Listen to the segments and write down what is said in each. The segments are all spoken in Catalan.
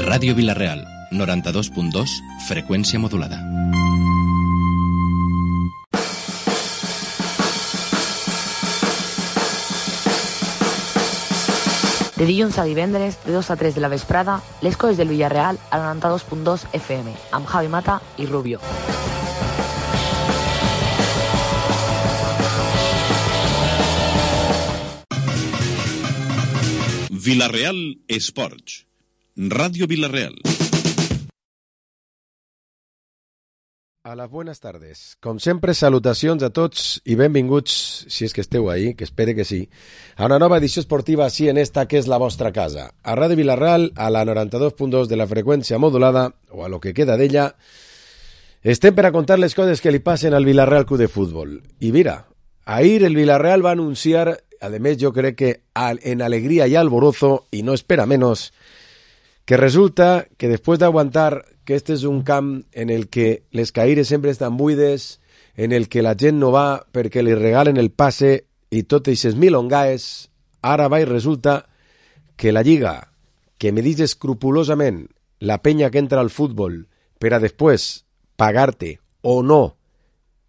Ràdio Vila-real, 92.2, freqüència modulada. De dilluns a divendres, de 2 a 3 de la vesprada, les coses del Villarreal a 92.2 FM, amb Javi Mata i Rubio. Vila-real Esports. Radio Vila-real. Hola, buenas tardes. Com sempre, salutacions a tots i benvinguts, si és que esteu ahí, que espere que sí, a una nova edició esportiva així en esta que és la vostra casa. A Ràdio Vila-real, a la 92.2 de la freqüència modulada, o a lo que queda d'ella, estem per a contar les coses que li passen al Vila-real Club de Fútbol. I mira, ahir el Vila-real va anunciar, además yo creo que en alegría y alborozo, y no espera menos, que resulta que después de aguantar que este és un camp en el que les caires sempre estan buides, en el que la gent no va perquè li regalen el passe i tot eixes milongaes, ara va i resulta que la Lliga, que medís escrupulosament la penya que entra al futbol per a després pagar-te o no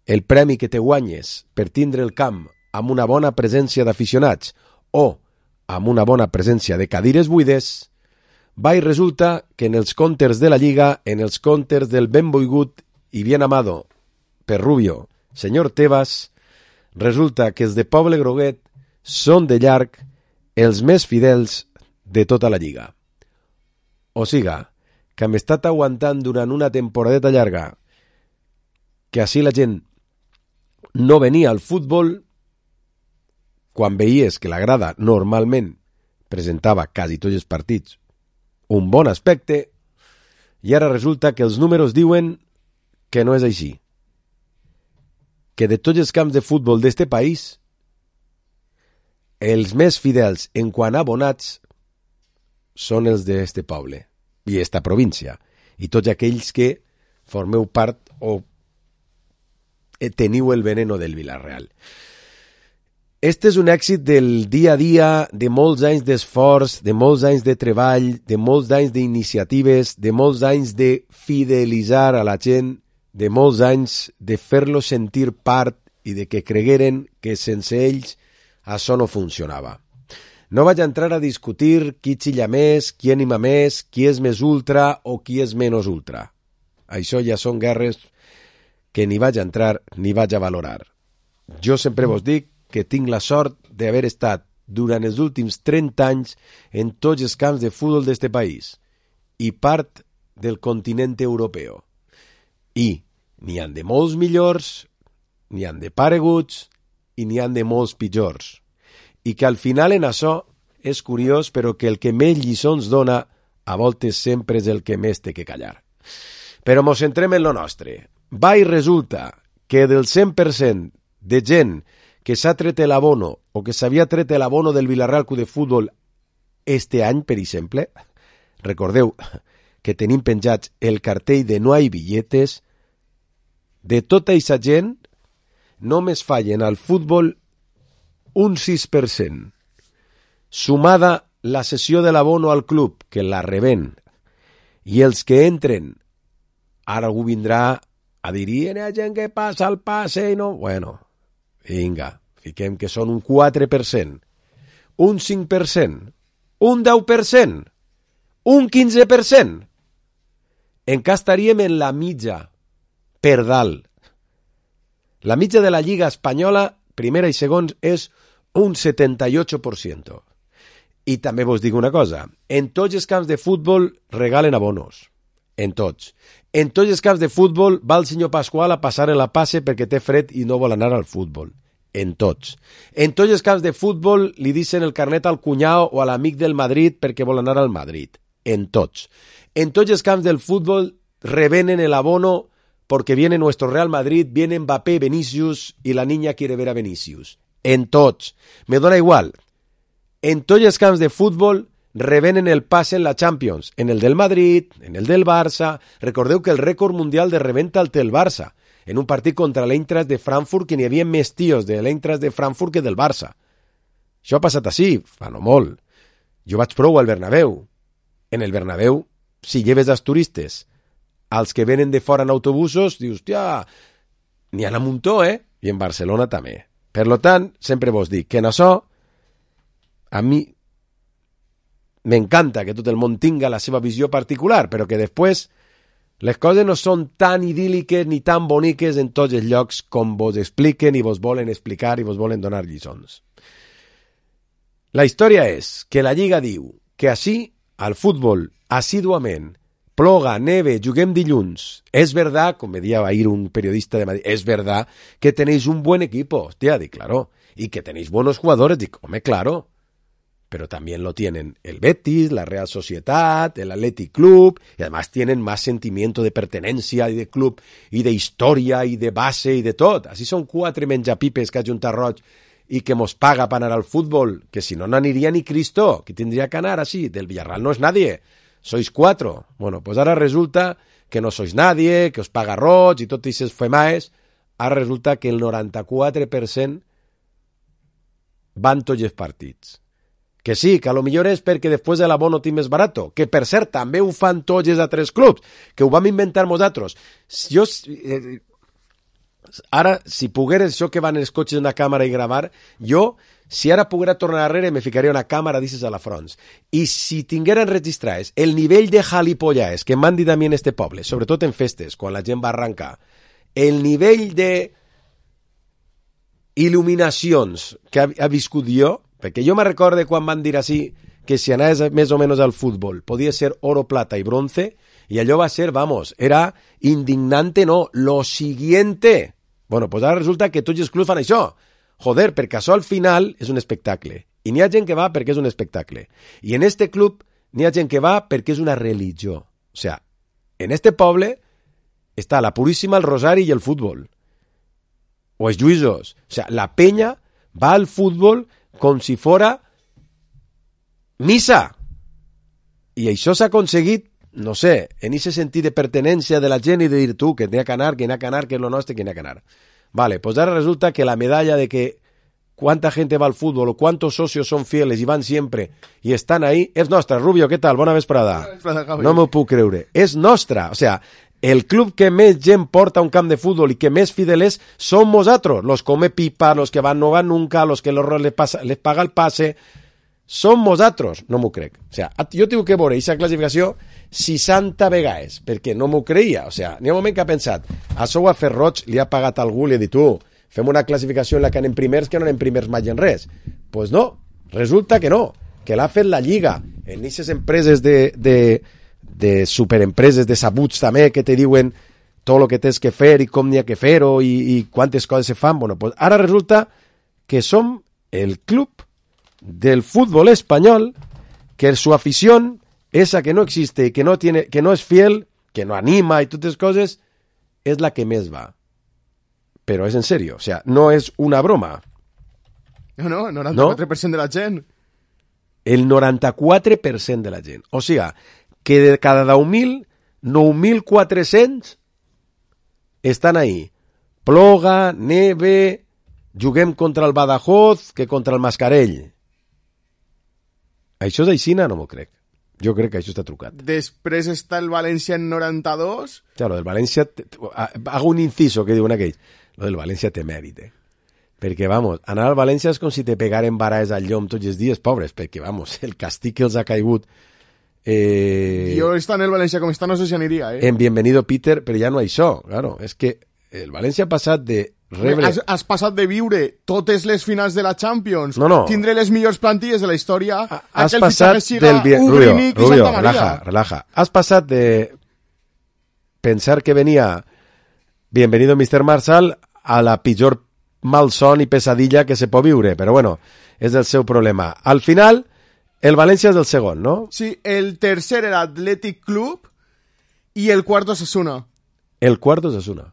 el premi que te guanyes per tindre el camp amb una bona presència d'aficionats o amb una bona presència de cadires buides, va i resulta que en els comptes de la Lliga, en els comptes del ben boigut i bien amado per Rubio, senyor Tebas, resulta que els de Poble Groguet són de llarg els més fidels de tota la Lliga. O siga, que hem estat aguantant durant una temporadeta llarga que així la gent no venia al futbol quan veies que la grada normalment presentava quasi tots els partits un bon aspecte, i ara resulta que els números diuen que no és així. Que de tots els camps de futbol d'este país, els més fidels en quant a abonats són els d'este poble i esta província, i tots aquells que formeu part o teniu el veneno del Vila-real. Este és un èxit del dia a dia, de molts anys d'esforç, de molts anys de treball, de molts anys d'iniciatives, de molts anys de fidelitzar a la gent, de molts anys de fer-los sentir part i de que cregueren que sense ells això no funcionava. No vaig entrar a discutir qui xilla més, qui anima més, qui és més ultra o qui és menys ultra. Això ja són guerres que ni vaig entrar ni vaig a valorar. Jo sempre vos dic que tinc la sort d'haver estat durant els últims 30 anys en tots els camps de futbol d'este país i part del continent europeu. I n'hi han de molts millors, n'hi han de pareguts i n'hi han de molts pitjors. I que al final en això és curiós, però que el que més lliçons dona a voltes sempre és el que més té que callar. Però mos centrem en lo nostre. Va i resulta que del 100% de gent que s'ha tret l'abono o que s'havia tret l'abono del Vila-real Club de Futbol este any, per exemple, recordeu que tenim penjats el cartell de no hay billetes, de tota aquesta gent només fallen al futbol un 6%. Sumada la cessió de l'abono al club, que la reben, i els que entren, ara algú vindrà a dir, hi ha gent que passa el passe i no... Bueno, vinga, fiquem que són un 4%, un 5%, un 10%, un 15%. Encara estaríem en la mitja, per dalt. La mitja de la Lliga Espanyola, primera i segons, és un 78%. I també vos dic una cosa, en tots els camps de futbol regalen abonos. En tots. En tots els camps de futbol va el senyor Pasqual a passar en la passe perquè té fred i no vol anar al futbol. En tots. En tots els camps de futbol li dicen el carnet al cunyau o a l'amic del Madrid perquè vol anar al Madrid. En tots. En tots els camps del futbol revenen el abono porque viene nuestro Real Madrid, viene Mbappé, Vinicius y la niña quiere ver a Vinicius. En tots. Me dona igual. En tots els camps de futbol revenen el passe en la Champions, en el del Madrid, en el del Barça. Recordeu que el rècord mundial de reventa el té el Barça, en un partit contra l'Eintracht de Frankfurt, que n'hi havia més tios de l'Eintracht de Frankfurt que del Barça. Això ha passat així, fa no molt. Jo vaig prou al Bernabéu. En el Bernabéu, si lleves els turistes, als que venen de fora en autobusos, dius, hòstia, n'hi ha un muntó, I en Barcelona també. Per lo tant, sempre vos dic que en això, a mi m'encanta que tot el món tinga la seva visió particular, però que després les coses no són tan idíl·liques ni tan boniques en tots els llocs com vos expliquen i vos volen explicar i vos volen donar lliçons. La història és que la Lliga diu que així, al futbol, assíduament, ploga, neve, juguem dilluns. Es verdad, com me deia ahir un periodista de Madrid, es verdad que tenéis un buen equipo. Hostia, di claro. Y que tenéis buenos jugadores. Dic, hombre, claro. Pero también lo tienen el Betis, la Real Sociedad, el Athletic Club, y además tienen más sentimiento de pertenencia y de club, y de historia, y de base, y de tot. Así son 4 menjapipes que ha Junta Roig y que mos paga para anar al fútbol, que si no, no aniria ni Cristo, que tendría que anar así. Del Villarreal no es nadie, sois 4. Bueno, pues ahora resulta que no sois nadie, que os paga Roig y tot aquestes femaes. Ara resulta que el 94% van tots els partits. Que sí, que a lo millor és perquè després de l'abono tinc més barato, que per cert també ho fan tots els altres clubs, que ho vam inventar nosaltres. Jo, ara, si pogueres això que van els cotxes en la càmera i gravar, jo, si ara poguera tornar darrere, me ficaria una càmera d'isses a la front. I si tingueren registrats el nivell de jalipollaes que m'han dit a mi en este poble, sobretot en festes, quan la gent va arrencar, el nivell de il·luminacions que ha viscut jo, perquè jo me recorde quan van dir així que si anaves més o menys al futbol podia ser oro, plata i bronce, i allò va ser, vamos, era indignante, no, lo siguiente. Bueno, pues ara resulta que tots els clubs fan això. Joder, perquè això al final és un espectacle. I n'hi ha gent que va perquè és un espectacle. I en este club n'hi ha gent que va perquè és una religió. O sea, en este poble està la Puríssima, el Rosari i el futbol. O els lluïsos. O sea, la penya va al futbol com si fora missa. I això s'ha aconseguit, no sé, en ese sentit de pertenència de la gent i de dir tu, que n'hi ha que anar, que n'hi ha que anar, que és lo nostre, que n'hi ha que anar. Vale, pues ara resulta que la medalla de que cuánta gente va al fútbol o cuántos socios son fieles y van siempre y están ahí, és nostra. Rubio, què tal? Bona vesprada. No m'ho puc creure. És nostra. O sea, el club que més gent porta a un camp de fútbol i que més fidel és som nosaltres. Los come pipa, los que van no van nunca, los que les paga el pase. Som nosaltres. No m'ho crec. O sea, jo tinc que veure aquesta classificació 60 vegades, perquè no m'ho creia. O sea, n'hi ha un moment que ha pensat, això ho ha fet Roig, li ha pagat algú, li ha dit tu, fem una classificació en la que anem primers que no anem primers mai en res. Pues no, resulta que no, que l'ha fet la Lliga en aquestes empreses de superempreses de sabuts també que te diuen tot el que tens que fer i com n'hi ha que fer-ho i quantes coses se fan. Bueno, pues ara resulta que som el club del fútbol espanyol que su afición, esa que no existe, que no es fiel, que no anima y todas esas cosas, es la que més va. Pero es en serio, o sea, no es una broma. No, 94% de la gent. El 94% de la gent. O sea, que de cada 10.000, 9.400 estan ahí. Ploga, neve, juguem contra el Badajoz que contra el Mascarell. Això és aixina? No m'ho crec. Jo crec que això està trucat. Després està el València en 92. Claro, el València... Hago un inciso que diuen aquells. Lo del València té mèrit, Perquè, vamos, anar al València és com si te pegaren varaes al llom tots els dies, pobres, perquè, vamos, el castig que els ha caigut... Jo està en el València com està, no sé si aniria, En Bienvenido Peter, però ja no això, claro. És que el València ha passat de rebre... Has passat de viure totes les finals de la Champions, no. Tindre les millors plantilles de la història, has passat del... Rubio, relaja. Has passat de pensar que venia Bienvenido Mr. Marshall a la pitjor malson i pesadilla que se pot viure, però bueno, és el seu problema. Al final, el València és el segon, no? Sí, el tercer era Athletic Club i el quart Osasuna. El quart Osasuna.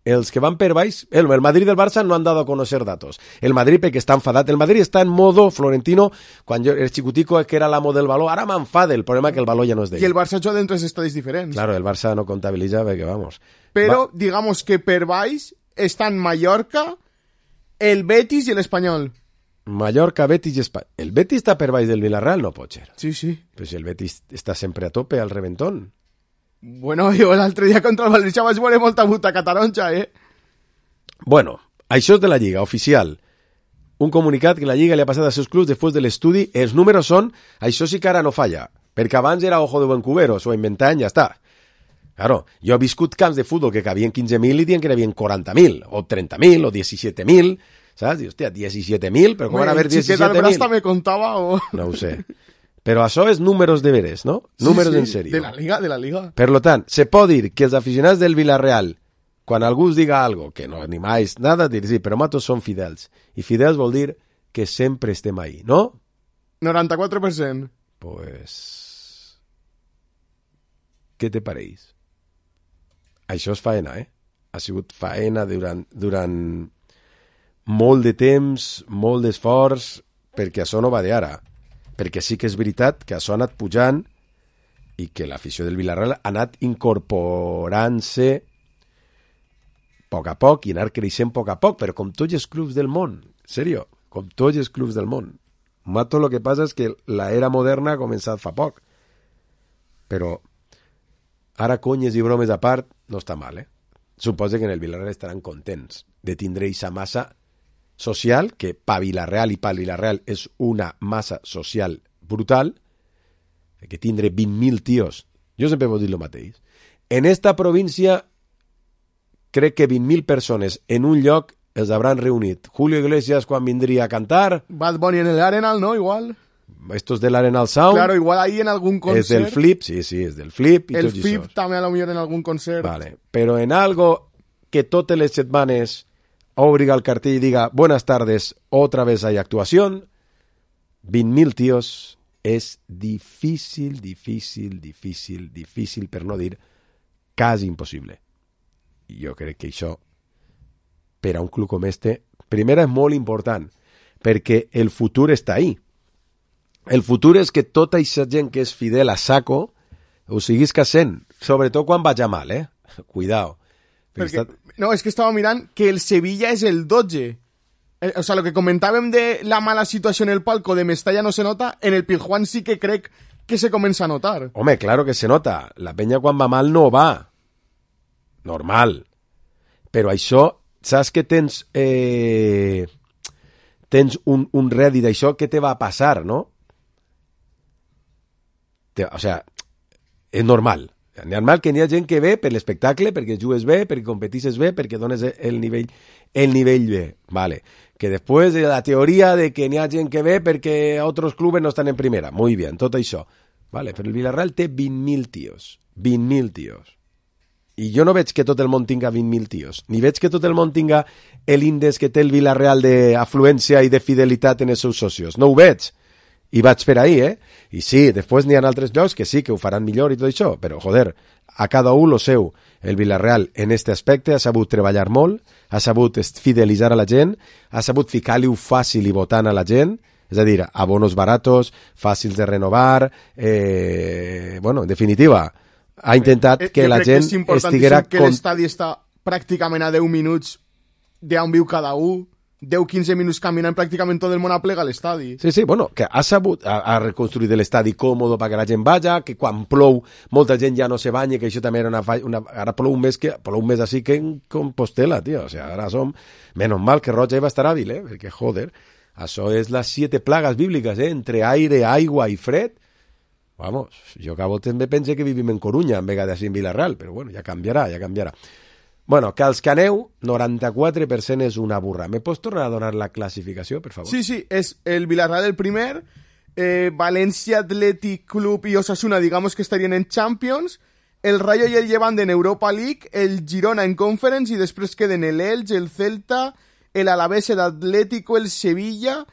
Els que van per baix, el Madrid del Barça no han dado a conocer datos. El Madrid perquè està enfadat. El Madrid està en modo Florentino, quan jo era xicutico que era l'amo del baló, ara m'enfada, el problema que el baló ja no és d'ell. I el Barça juga en 3 estadis diferents. Claro, el Barça no comptabilitza perquè, vamos... Però, digamos que per baix estan Mallorca, el Betis i l'Espanyol. Mallorca, Betis i Espanya. El Betis està per baix del Villarreal? No pot ser. Sí, sí. Però si el Betis està sempre a tope, al reventón. Bueno, jo l'altre dia contra el València vaig veure molta butaca taronja, Bueno, això és de la Lliga, oficial. Un comunicat que la Lliga li ha passat als seus clubs després de l'estudi. Els números són... Això sí que ara no falla, perquè abans era Ojo de Vancouver, s'ho inventaven i ja està. Claro, jo he viscut camps de futbol que cabien 15.000 i diuen que n'hi havia 40.000, o 30.000, o 17.000, saps? I, hòstia, 17.000, però com van haver 17.000? El Brasta me contava o... No ho sé. Però això és números de veres, no? Números en sèrio. De la Liga. Per lo tant, se pot dir que els aficionats del Villarreal, quan algú us diga algo, que no animáis nada, dir sí, però matos són fidels. I fidels vol dir que sempre estem ahí, no? 94%. Pues... Què te pareix? Això és faena, Ha sigut faena durant molt de temps, molt d'esforç, perquè això no va d'ara. Perquè sí que és veritat que això ha anat pujant i que l'afició del Villarreal ha anat incorporant-se a poc i anar creixent a poc, però com tots els clubs del món, en sèrio, com tots els clubs del món. Mato, lo que passa és que l'era moderna ha començat fa poc. Però ara conyes i bromes a part, no està mal, Suposo que en el Villarreal estaran contents de tindre aquesta massa social, que pa Villarreal i pa Villarreal és una massa social brutal, que tindre 20.000 tios. Jo sempre vull dir el mateix. En esta província crec que 20.000 persones en un lloc els hauran reunit. Julio Iglesias quan vindria a cantar. Bad Bunny en el Arenal, ¿no? Igual. Estos del Arenal Sound. Claro, igual ahí en algún concert. Es del Flip, sí, es del Flip. I el tots Flip això. també a lo millor en algun concert. Vale, però en algo que totes les setmanes obriga el cartell i diga buenas tardes, otra vez hay actuación, 20.000 tios és difícil, per no dir quasi impossible. I jo crec que això, per a un club com este, primera és molt important, perquè el futur està ahí. El futur és que tota aquesta gent que és fidel a saco ho siguis cassent, sobretot quan vaja mal, Cuidao. Perquè, no, és que estava mirant que el Sevilla és el 12. O sea, lo que comentàvem de la mala situació en el palco de Mestalla no se nota, en el Pizjuán sí que crec que se comença a notar. Home, claro que se nota. La penya quan va mal no va. Normal. Però això, saps que tens un rèdit d'això, què te va passar, no? O sea, és normal. És normal que n'hi ha gent que ve per l'espectacle, perquè jugues bé, perquè competisses bé, perquè dones el nivell bé. Vale. Que després de la teoria de que n'hi ha gent que ve perquè altres clubs no estan en primera. Muy bien, tot això. Vale, però el Villarreal té 20.000 tios. 20.000 tios. I jo no veig que tot el món tinga 20.000 tios. Ni veig que tot el món tinga l'índex que té el Villarreal d'afluència i de fidelitat en els seus socios. No ho veig. I vaig per ahí, I sí, després n'hi ha altres llocs que sí, que ho faran millor i tot això, però, joder, a cada un lo seu. El Villarreal, en este aspecte, ha sabut treballar molt, ha sabut fidelitzar a la gent, ha sabut ficar-li-ho fàcil i votant a la gent, és a dir, abonos baratos, fàcils de renovar, bueno, en definitiva, ha intentat que la gent estiguera... És importantíssim que l'estadi està pràcticament a 10 minuts d'on viu cada un, 10-15 minuts caminant pràcticament tot el món aplega a l'estadi. Sí, bueno, que ha sabut ha reconstruït l'estadi còmodo perquè la gent vaja, que quan plou molta gent ja no se banya, que això també era ara plou un mes així que en Compostela, tio, o sea, ara som... Menos mal que Roig va estar hàbil, perquè, joder, això és les 7 plagues bíbliques, entre aire, aigua i fred. Vamos, jo que a voltes me pense que vivim en Corunya, en vegades en Villarreal, però bueno, ja canviarà. Bueno, que els que aneu, 94% és una burra. ¿Me pots tornar a donar la classificació, per favor? Sí, és el Villarreal el primer, Valencia Athletic Club y Osasuna, digamos que estarían en Champions, el Rayo y el Levante en Europa League, el Girona en Conference y després queden el Elche, el Celta, el Alavés, el Atlético, el Sevilla,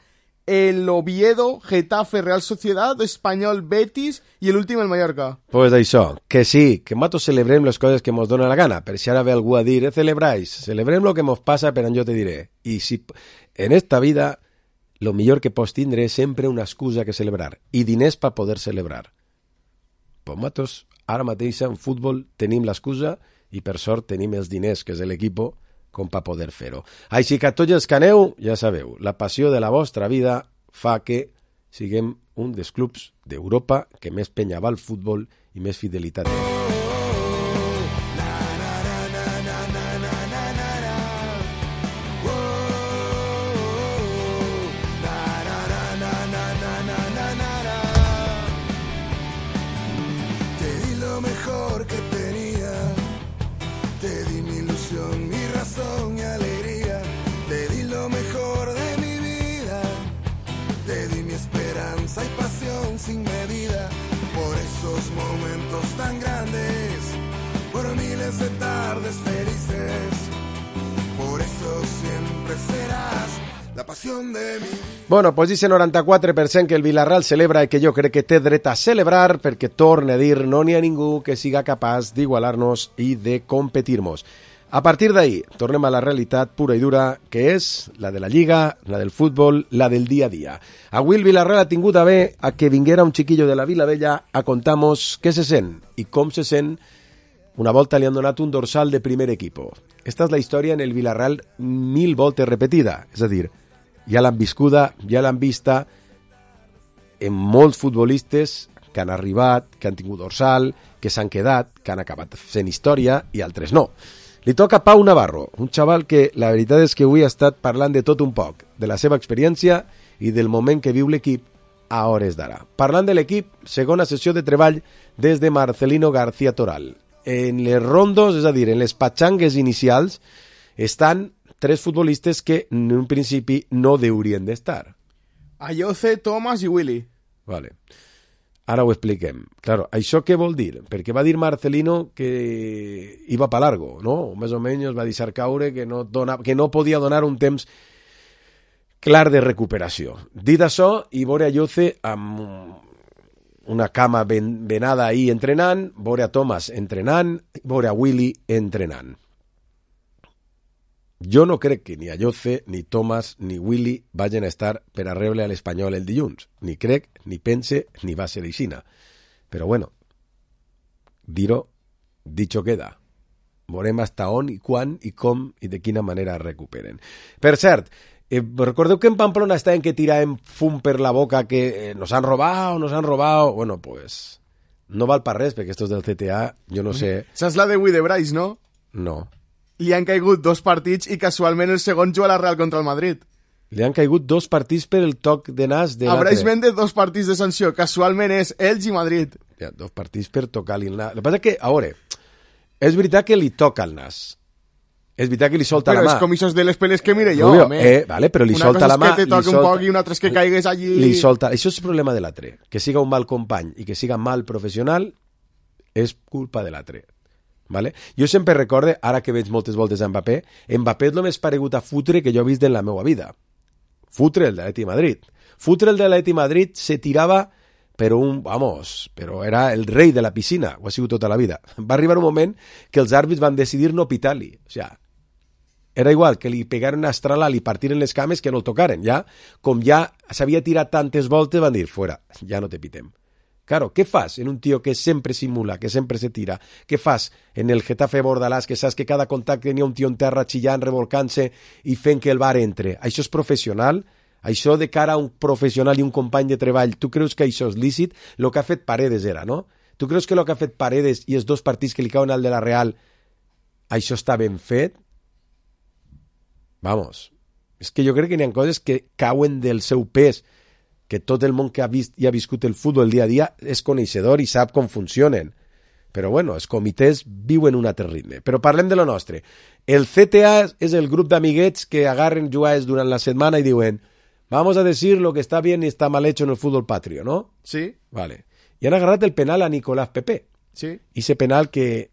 el Oviedo, Getafe, Real Sociedad, Espanyol, Betis i l'últim el Mallorca. Pues això, que sí, que matos celebrem les coses que mos dona la gana, per si ara ve algú a dir, celebrem lo que mos passa, però jo te diré. I si en esta vida lo millor que pots tindre és sempre una excusa que celebrar i diners per poder celebrar. Pues matos, ara mateix en futbol tenim l'excusa i per sort tenim els diners, que és l'equip, com per poder fer-ho. Així que tots els que aneu, ja sabeu, la passió de la vostra vida fa que siguem un dels clubs d'Europa que més penya va al futbol i més fidelitat té. Sin medida, por esos momentos tan grandes, por miles de tardes felices, por eso siempre serás la passió de mi... Bueno, pues dice 94% que el Villarreal celebra i que jo crec que té dret a celebrar perquè, torna a dir, no n'hi ha ningú que siga capaç d'igualar-nos i de competir-nos. A partir d'ahí, tornem a la realitat pura i dura, que és la de la Lliga, la del futbol, la del dia a dia. Avui el Villarreal ha tingut a bé a que vinguera un xiquillo de la Vilavella a contar-nos què se sent i com se sent. Una volta li han donat un dorsal de primer equipo. Esta és la història en el Villarreal 1000 voltes repetida. És a dir, ja l'han viscuda, ja l'han vista en molts futbolistes que han arribat, que han tingut dorsal, que s'han quedat, que han acabat fent història i altres no. Li toca a Pau Navarro, un xaval que la veritat és que avui ha estat parlant de tot un poc, de la seva experiència i del moment que viu l'equip a hores d'ara. Parlant de l'equip, segona sessió de treball des de Marcelino García Toral. En les rondos, és a dir, en les patxangues inicials, estan 3 futbolistes que en un principi no deurien d'estar. Ayoce, Thomas i Willy. Vale. Ara ho expliquem. Claro, això què vol dir? Perquè va dir Marcelino que iba pa largo, no? Més o menys va deixar caure que no podia donar un temps clar de recuperació. Dit això, i veure Ayoce amb una cama venada ahí entrenant, veure a Thomas entrenant, veure a Willy entrenant. Jo no crec que ni Ayoce, ni Thomas, ni Willy vagin a estar per a rebre a l'Espanyol el dilluns. Ni crec, ni pense, ni va ser aixina. Però bueno, dir-ho, dicho queda. Veurem hasta on i quan i com i de quina manera recuperen. Per cert, recordeu que en Pamplona estaven que tiraven fum per la boca que nos han robado. Bueno, pues no val per res, perquè estos del CTA, jo no sé... Esa és la de Bryce, no? No. Li han caigut 2 partits i casualment el segon juga a la Real contra el Madrid. Li han caigut 2 partits per el toc de nas de l'altre. A Bryce Méndez 2 partits de sanció. Casualment és Elx i Madrid. Ja, 2 partits per tocar-li el nas. El que passa que, a veure, és veritat que li toca el nas. És veritat que li solta la mà. Però és com això de les peles que mire jo, home. Vale, però li solta la mà. Una cosa és que te toqui un poc i una altra és que caigues allí... Li solta... Això és el problema de l'altre. Que siga un mal company i que siga mal professional és culpa de l'altre. Vale? Jo sempre recorde, ara que veig moltes voltes a Mbappé és el més paregut a Futre que jo he vist en la meva vida. Futre, el de l'Atleti Madrid. Futre, el de l'Atleti Madrid, se tirava però era el rei de la piscina, ho ha sigut tota la vida. Va arribar un moment que els àrbits van decidir no pitar-li. O sea, era igual que li pegaren una estrala, li partiren les cames que no el tocaren. Ja, com ja s'havia tirat tantes voltes, van dir, fuera, ja no te pitem. Claro, què fas en un tio que sempre simula, que sempre se tira? Què fas en el Getafe Bordalàs, que saps que cada contacte n'hi ha un tio en terra xillant, revolcant-se i fent que el bar entre? Això és professional? Això de cara a un professional i un company de treball, tu creus que això és lícit? El que ha fet Paredes era, no? Tu creus que el que ha fet Paredes i els 2 partits que li cauen al de la Real, això està ben fet? Vamos, és que jo crec que n'hi ha coses que cauen del seu pes, que tot el món que ha vist i ha viscut el futbol el dia a dia és coneixedor i sap com funcionen. Però bueno, els comitès viuen un altre ritme. Però parlem de lo nostre. El CTA és el grup d'amiguets que agarren jugades durant la setmana i diuen vamos a decir lo que está bien y está mal hecho en el fútbol patrio, ¿no? Sí. Vale. I han agarrat el penal a Nicolás Pepe. Sí. I ese penal que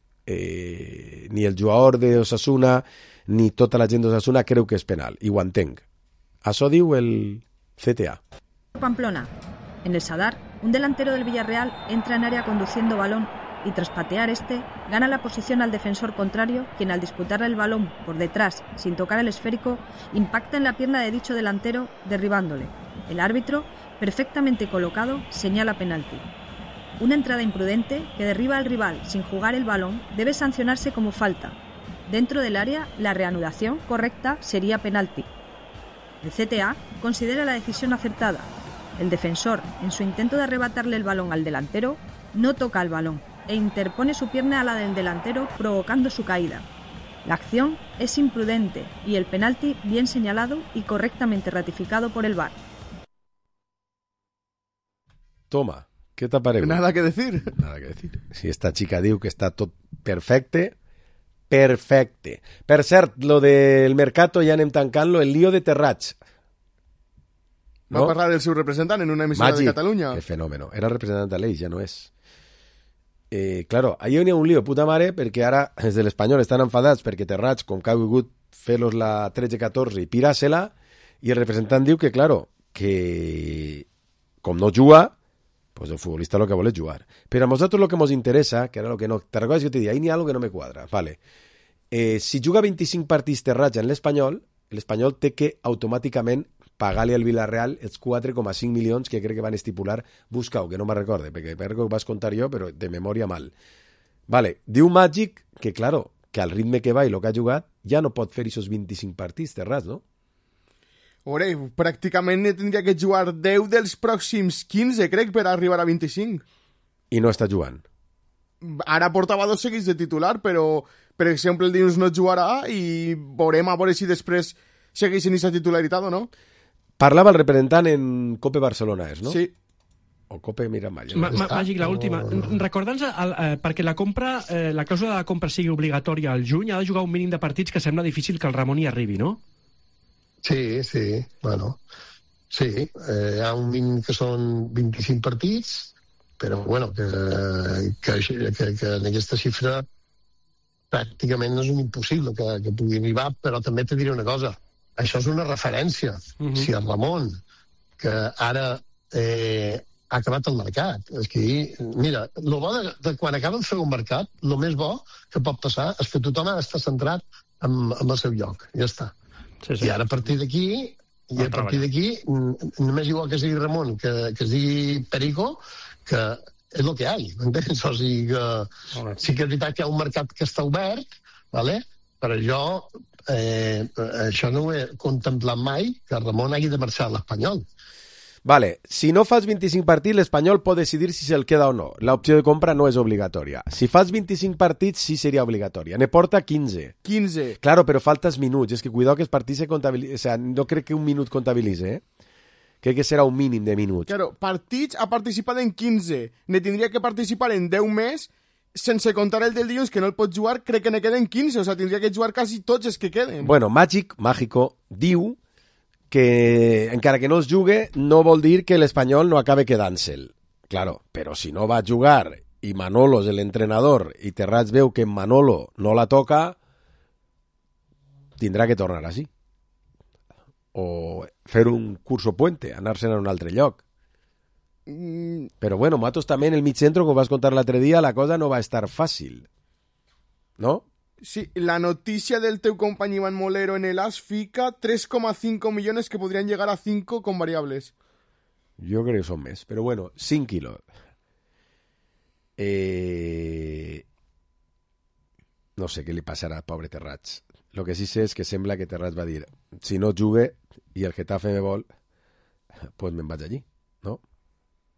ni el jugador de Osasuna ni tota la gent d'Osasuna creu que és penal. I ho entenc. Això diu el CTA. Pamplona. En el Sadar, un delantero del Villarreal entra en área conduciendo balón y tras patear gana la posición al defensor contrario, quien al disputarle el balón por detrás, sin tocar el esférico, impacta en la pierna de dicho delantero, derribándole. El árbitro, perfectamente colocado, señala penalti. Una entrada imprudente que derriba al rival sin jugar el balón debe sancionarse como falta. Dentro del área, la reanudación correcta sería penalti. El CTA considera la decisión acertada. El defensor, en su intento de arrebatarle el balón al delantero, no toca el balón e interpone su pierna a la del delantero, provocando su caída. La acción es imprudente y el penalti bien señalado y correctamente ratificado por el VAR. Toma, què t'apareu? Nada que decir. Nada que decir. Si esta xica diu que està tot perfecte, perfecte. Per cert, lo del Mercato ja anem tancant-lo, el lío de Terrats. Va a parlar del seu representant en una emissora de Catalunya. Qué fenómeno. Era representant de l'Eix, ja no és. Claro, ahí hi ha un lío puta mare perquè ara des de l'Espanyol estan enfadats perquè Terrats, com que ha volgut fer-los la 13-14 i pirar-se-la, i el representant diu que, claro, que com no juga, pues el futbolista lo que vol és jugar. Però a nosaltres lo que nos interessa, que era lo que no... Te recordes que te dic, ahí n'hi ha algo que no me cuadra. Vale. Si juga 25 partits Terrats en l'Espanyol té que automàticament pagar-li al Villarreal els 4,5 milions que crec que van estipular. Busca-ho, que no me'n recorde, perquè crec que ho vas contar jo, però de memòria mal. Vale, diu Màgic que, claro, que al ritme que va i el que ha jugat, ja no pot fer aquests 25 partits Terrats, no? Ore, pràcticament tindria que jugar 10 dels pròxims 15, crec, per arribar a 25. I no està jugant. Ara portava 2 seguits de titular, però, per exemple, el dilluns no jugarà i veurem a veure si després segueix en aquesta titularitat o no. Parlava el representant en Cope Barcelona, no? Sí. O Cope Miramar. Màgic, l'última. Recorda'ns, perquè la compra, la clàusula de la compra sigui obligatòria al juny, ha de jugar un mínim de partits que sembla difícil que el Ramon hi arribi, no? Sí, bueno. Sí, hi ha un mínim que són 25 partits, però, bueno, que en aquesta xifra pràcticament no és un impossible que pugui arribar, però també te diré una cosa. Això és una referència. Si el Ramon, que ara ha acabat el mercat, és que, mira, el bo de quan acaben de fer un mercat, el més bo que pot passar és que tothom ha d'estar centrat en el seu lloc. Ja està. Sí. I ara a partir d'aquí, només igual que es digui Ramon, que es digui Perico, que és el que hi ha, m'entens? O sigui que sí que és veritat que hi ha un mercat que està obert, ¿vale? Però jo això no ho he contemplat mai, que Ramon hagi de marxar a l'Espanyol. Vale, si no fas 25 partits, l'Espanyol pot decidir si se'l queda o no. L'opció de compra no és obligatòria. Si fas 25 partits, sí seria obligatòria. Ne porta 15. 15. Claro, però faltes minuts. És que cuidado que els partits se comptabilitzen. O sea, no crec que un minut comptabilitze, Crec que serà un mínim de minuts. Claro, partits ha participat en 15. Ne tindria que participar en 10 més, sense contar el del dilluns, que no el pot jugar, crec que ne queden 15. O sea, tindria que jugar quasi tots els que queden. Bueno, Mágico, diu que encara que no es jugue no vol dir que l'Espanyol no acabe quedant-se'l. Claro, però si no va a jugar i Manolo és l'entrenador i Terrats veu que Manolo no la toca, tindrà que tornar així. O fer un curso puente, anar-se'n a un altre lloc. Però bueno, Matos també en el mig centro, com vas contar l'altre dia, la cosa no va estar fàcil. ¿No? Sí, la noticia del teu company Iván Molero en el AS fica 3,5 millones que podrían llegar a 5 con variables. Yo creo que son més, però bueno, 5 quilos. No sé què li passarà al pobre Terrats. Lo que sí sé és que sembla que Terrats va dir si no jugue i el Getafe me vol, pues me'n vaig allí, no?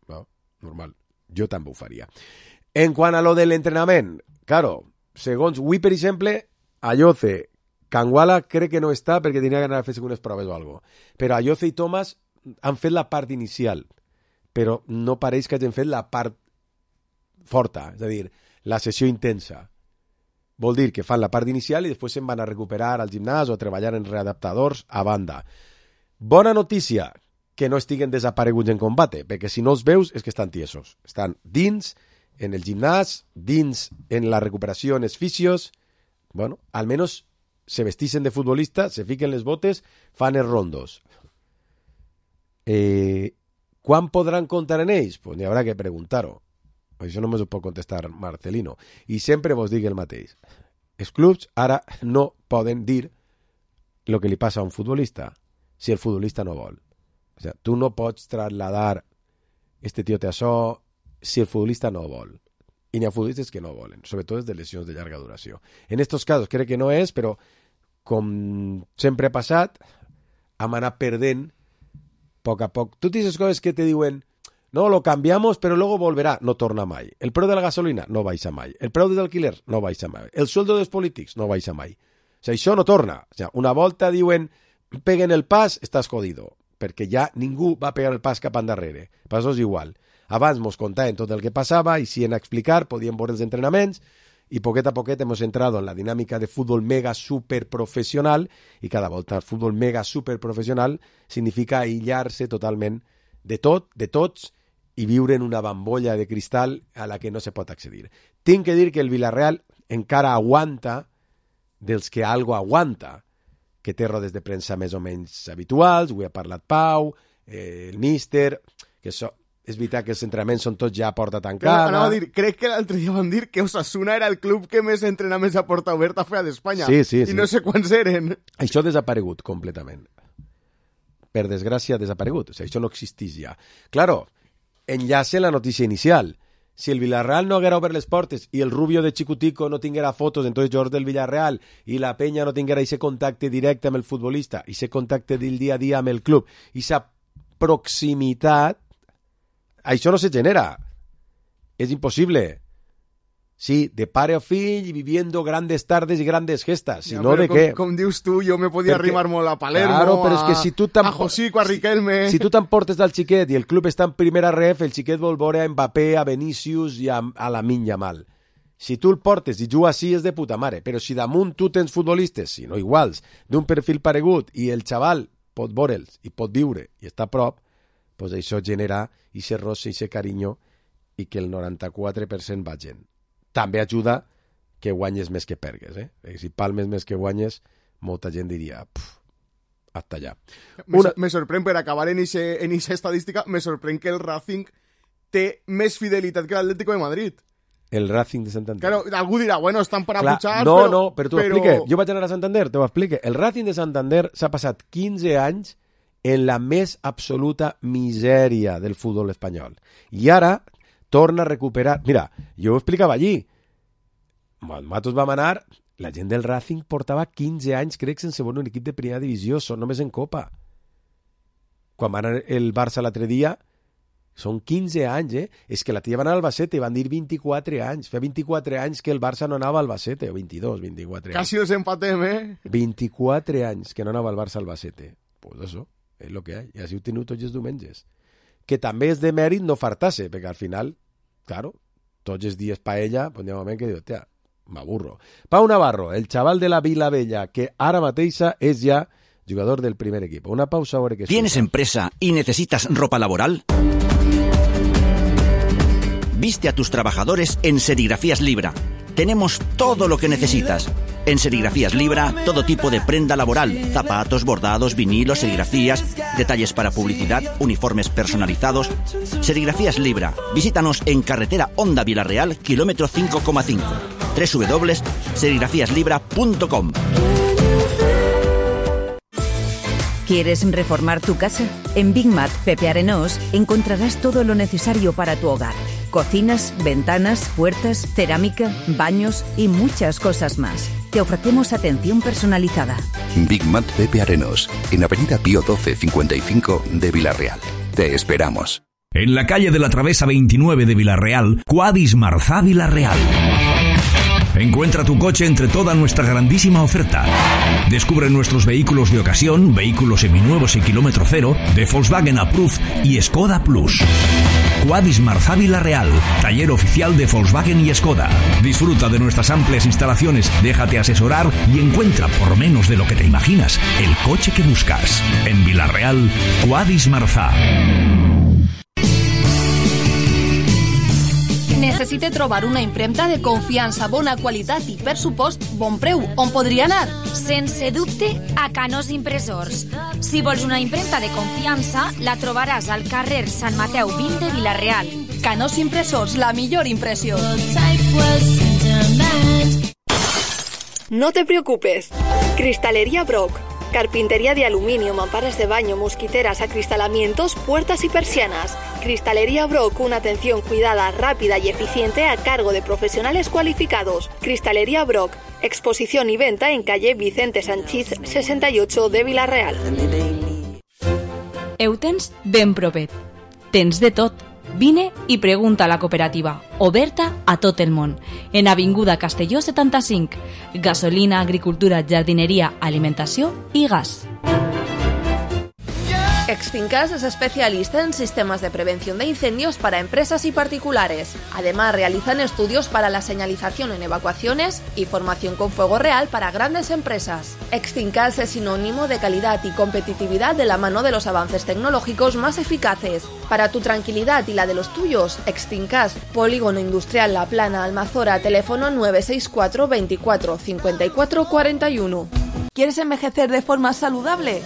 No, normal. Jo també ho faria. En quant a lo de l'entrenament, claro, segons avui, per exemple, Ayoce, Canguala crec que no està perquè tenia que anar a fer unes proves o alguna cosa. Però Ayoce i Thomas han fet la part inicial, però no pareix que hagin fet la part forta, és a dir, la sessió intensa. Vol dir que fan la part inicial i després se'n van a recuperar al gimnàs o a treballar en readaptadors a banda. Bona notícia, que no estiguen desapareguts en combate, perquè si no els veus és que estan tiesos. Estan dins, en el gimnàs, dins en la recuperació en els fisios. Bueno, almenys se vestixen de futbolista, se fiquen les botes, fan els rondos. Quan podran comptar en ells? Pues n'hi haurà que preguntar-ho. Això només ho pot contestar Marcelino. I sempre vos dic el mateix. Els clubs ara no poden dir el que li passa a un futbolista si el futbolista no vol. O sea, tu no pots trasladar este tío té això si el futbolista no vol. i n'hi ha futbolistes que no volen, sobretot de lesions de llarga duració. En aquests casos crec que no és, però com sempre ha passat, hem anat perdent a poc a poc. Totes aquestes coses que te diuen no, lo cambiamos, pero luego volverá, no torna mai. El preu de la gasolina no baixa mai. El preu dels alquilers no baixa mai. El sueldo dels polítics no baixa mai. O sigui, això no torna. O sigui, una volta diuen peguen el pas, estàs jodido, perquè ja ningú va pegar el pas cap endarrere. Per això és igual. Abans mos contaven tot el que passava, i si en explicar, podíem veure els entrenaments, i poquet a poquet hemos entrado en la dinàmica de futbol mega super professional, i cada volta el futbol mega super professional significa aïllar-se totalment de tot, de tots, i viure en una bambolla de cristal a la que no se pot accedir. Tinc que dir que el Villarreal encara aguanta dels que algo aguanta, que té rodes de premsa més o menys habituals, avui ha parlat Pau, el míster, que això, és veritat que els entrenaments són tots ja a porta tancada. Anava a dir, crec que l'altre dia van dir que Osasuna era el club que més entrenaments a porta oberta feia d'Espanya. Sí. I no sé quants eren. Això ha desaparegut completament. Per desgràcia ha desaparegut. O sigui, això no existeix ja. Claro, enllace la notícia inicial. Si el Villarreal no haguera obert les portes i el Rubio de Chicutico no tinguera fotos entonces jugadors del Villarreal i la Peña no tinguera ese contacte directe amb el futbolista, ese contacte del dia a dia amb el club, i esa proximitat, això no se genera. És impossible. Sí, de pare a fill y viviendo grandes tardes y grandes gestas. Si no, ¿de qué? Com dius tu, jo me podia arrimar molt a Palermo, claro, però és que si tu a Josico, a Riquelme... Si tu t'emportes del xiquet i el club està en primera ref, el xiquet vol veure a Mbappé, a Vinícius i a Lamine Yamal. Si tu el portes i juga així és de puta mare, però si damunt tu tens futbolistes, si no iguals, d'un perfil paregut i el xaval pot veure'ls i pot viure i està a prop, pues això genera ese roce, ese carinyo i que el 94% vagin. També ajuda que guanyes més que pergues. Si palmes més que guanyes, molta gent diria hasta allà. Me sorprèn, per acabar en esa estadística, me sorprèn que el Racing té més fidelitat que l'Atlético de Madrid. El Racing de Santander. Claro, algú dirà, bueno, estan per apujar, no, però t'ho explique. Jo vaig anar a Santander, t'ho explique. El Racing de Santander s'ha passat 15 anys en la més absoluta misèria del futbol espanyol. I ara torna a recuperar... Mira, jo ho explicava allí. Nosaltres vam anar... La gent del Racing portava 15 anys, crec, sense veure un equip de primera divisió, són només en Copa. Quan va anar el Barça l'altre dia, són 15 anys, És que la tia va anar al Albacete, van dir 24 anys. Fa 24 anys que el Barça no anava al Albacete, o 22, 24 anys. Quasi els empatem, 24 anys que no anava al Barça al Albacete. Pues això, és el que hi ha. I així ho teniu tots els diumenges. Que també és de mèrit no fartar-se, perquè al final, claro, tots els dies paella, pues hi ha un moment que diu, tia, m'aburro. Pau Navarro, el xaval de la Vila Bella, que ara mateixa és ja jugador del primer equip. Una pausa ahora que... ¿Tienes empresa y necesitas ropa laboral? Viste a tus trabajadores en Serigrafías Libra. Tenemos todo lo que necesitas. En Serigrafías Libra, todo tipo de prenda laboral, zapatos, bordados, vinilos, serigrafías, detalles para publicidad, uniformes personalizados. Serigrafías Libra. Visítanos en carretera Honda Villarreal, kilómetro 5,5. www.serigrafiaslibra.com. ¿Quieres reformar tu casa? En Big Mat Pepe Arenós encontrarás todo lo necesario para tu hogar. Cocinas, ventanas, puertas, cerámica, baños y muchas cosas más. Te ofrecemos atención personalizada. Big Mat Pepe Arenós, en Avenida Pío 12 55 de Villarreal. Te esperamos. En la calle de la Travesa 29 de Villarreal, Quadis Marzá Villarreal. Encuentra tu coche entre toda nuestra grandísima oferta. Descubre nuestros vehículos de ocasión, vehículos seminuevos y kilómetro cero, de Volkswagen Approved y Skoda Plus. Quadis Marzá Villarreal, taller oficial de Volkswagen y Skoda. Disfruta de nuestras amplias instalaciones, déjate asesorar y encuentra, por menos de lo que te imaginas, el coche que buscas. En Villarreal, Quadis Marzá. Necessite trobar una impremta de confiança, bona qualitat i, per supost, bon preu. On podria anar? Sense dubte, a Canós Impressors. Si vols una impremta de confiança, la trobaràs al carrer Sant Mateu 20 de Vila-real. Canós Impressors, la millor impressió. No te preocupes. Cristalería Brock. Carpintería de aluminio, mamparas de baño, mosquiteras, acristalamientos, puertas y persianas. Cristalería Brock, una atención cuidada, rápida y eficiente a cargo de profesionales cualificados. Cristalería Brock, exposición y venta en calle Vicente Sanchís 68 de Vila-real. Ho tens ben propet. Tens de tot. Vine i pregunta a la cooperativa, oberta a tot el món, en Avinguda Castelló 75. Gasolina, agricultura, jardineria, alimentació i gas. Extincas es especialista en sistemas de prevención de incendios para empresas y particulares. Además, realizan estudios para la señalización en evacuaciones y formación con fuego real para grandes empresas. Extincas es sinónimo de calidad y competitividad de la mano de los avances tecnológicos más eficaces. Para tu tranquilidad y la de los tuyos, Extincas, Polígono Industrial La Plana, Almazora, teléfono 964 24 54 41. ¿Quieres envejecer de forma saludable?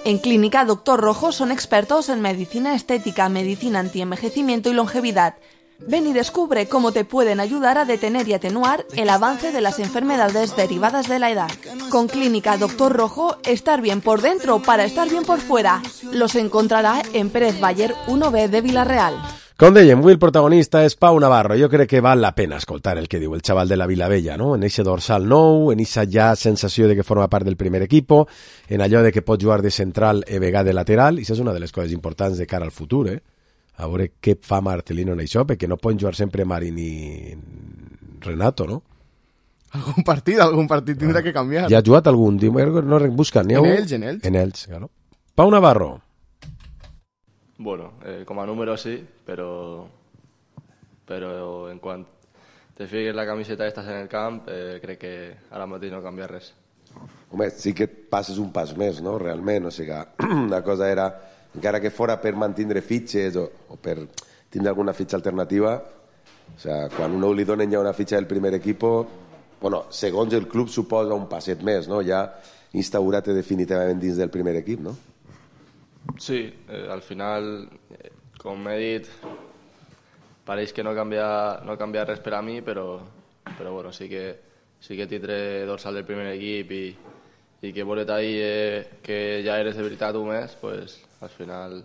En Clínica Dr. Rojo son expertos en medicina estética, medicina antienvejecimiento y longevidad. Ven y descubre cómo te pueden ayudar a detener y atenuar el avance de las enfermedades derivadas de la edad. Con Clínica Dr. Rojo, estar bien por dentro para estar bien por fuera. Los encontrará en Pérez Baller 1B de Vila-real. Com dèiem, avui el protagonista és Pau Navarro. Jo crec que val la pena escoltar el que diu el xaval de la Vilavella, no? En eixe dorsal nou, en eixa ja sensació de que forma part del primer equipo, en allò de que pot jugar de central i vegada de lateral, i això és una de les coses importants de cara al futur, A veure què fa Marcelino en això, perquè no poden jugar sempre Marín i Renato, no? Algun partit tindrà que canviar. Ja ha jugat algun, no busquen. En Elx. En Elx, claro. Pau Navarro. Bueno, com a número sí, però en quant te fiques la camiseta i estàs en el camp, crec que ara mateix no canvia res. Home, sí que passes un pas més, no?, realment. O sigui, la cosa era, encara que fora per mantindre fitxes o per tindre alguna fitxa alternativa, o sigui, quan un li donen ja una fitxa del primer equip, bueno, segons el club suposa un passet més, no?, ja instaurat definitivament dins del primer equip, no? Sí, al final, com he dit, pareix que no canvia res per a mi, però bueno, sí que tindré dorsal del primer equip i que volet ahir que ja eres de veritat un mes, pues al final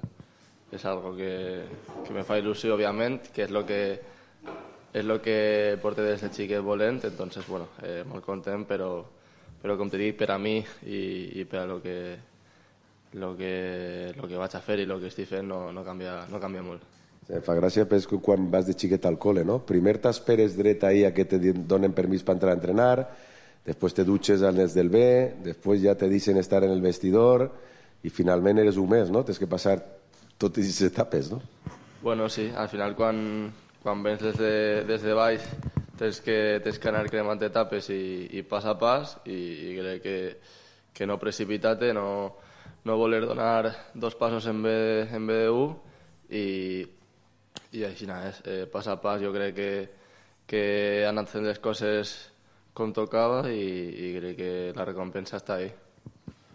és algo que me fa il·lusió, òbviament, que és lo que porte des de xiquet volent, entonces, bueno, molt content, però com te dic, per a mi i per a lo que vaig a fer i el que estic fent no canvia molt. Em fa gràcia perquè quan vas de xiquet al cole, no? Primer t'esperes dret ahí a que te donen permís per entrar a entrenar, després te dutxes als nens del B, després ja te deixen estar en el vestidor i finalment eres un mes, no? Tens que passar totes aquestes etapes, no? Bueno, sí, al final quan vens des de baix tens que anar cremant etapes i pas a pas i crec que no precipitar-te, no voler donar dos passos en vez de un i així és, pas a pas. Jo crec que han anat fent les coses com tocava i crec que la recompensa està ahí.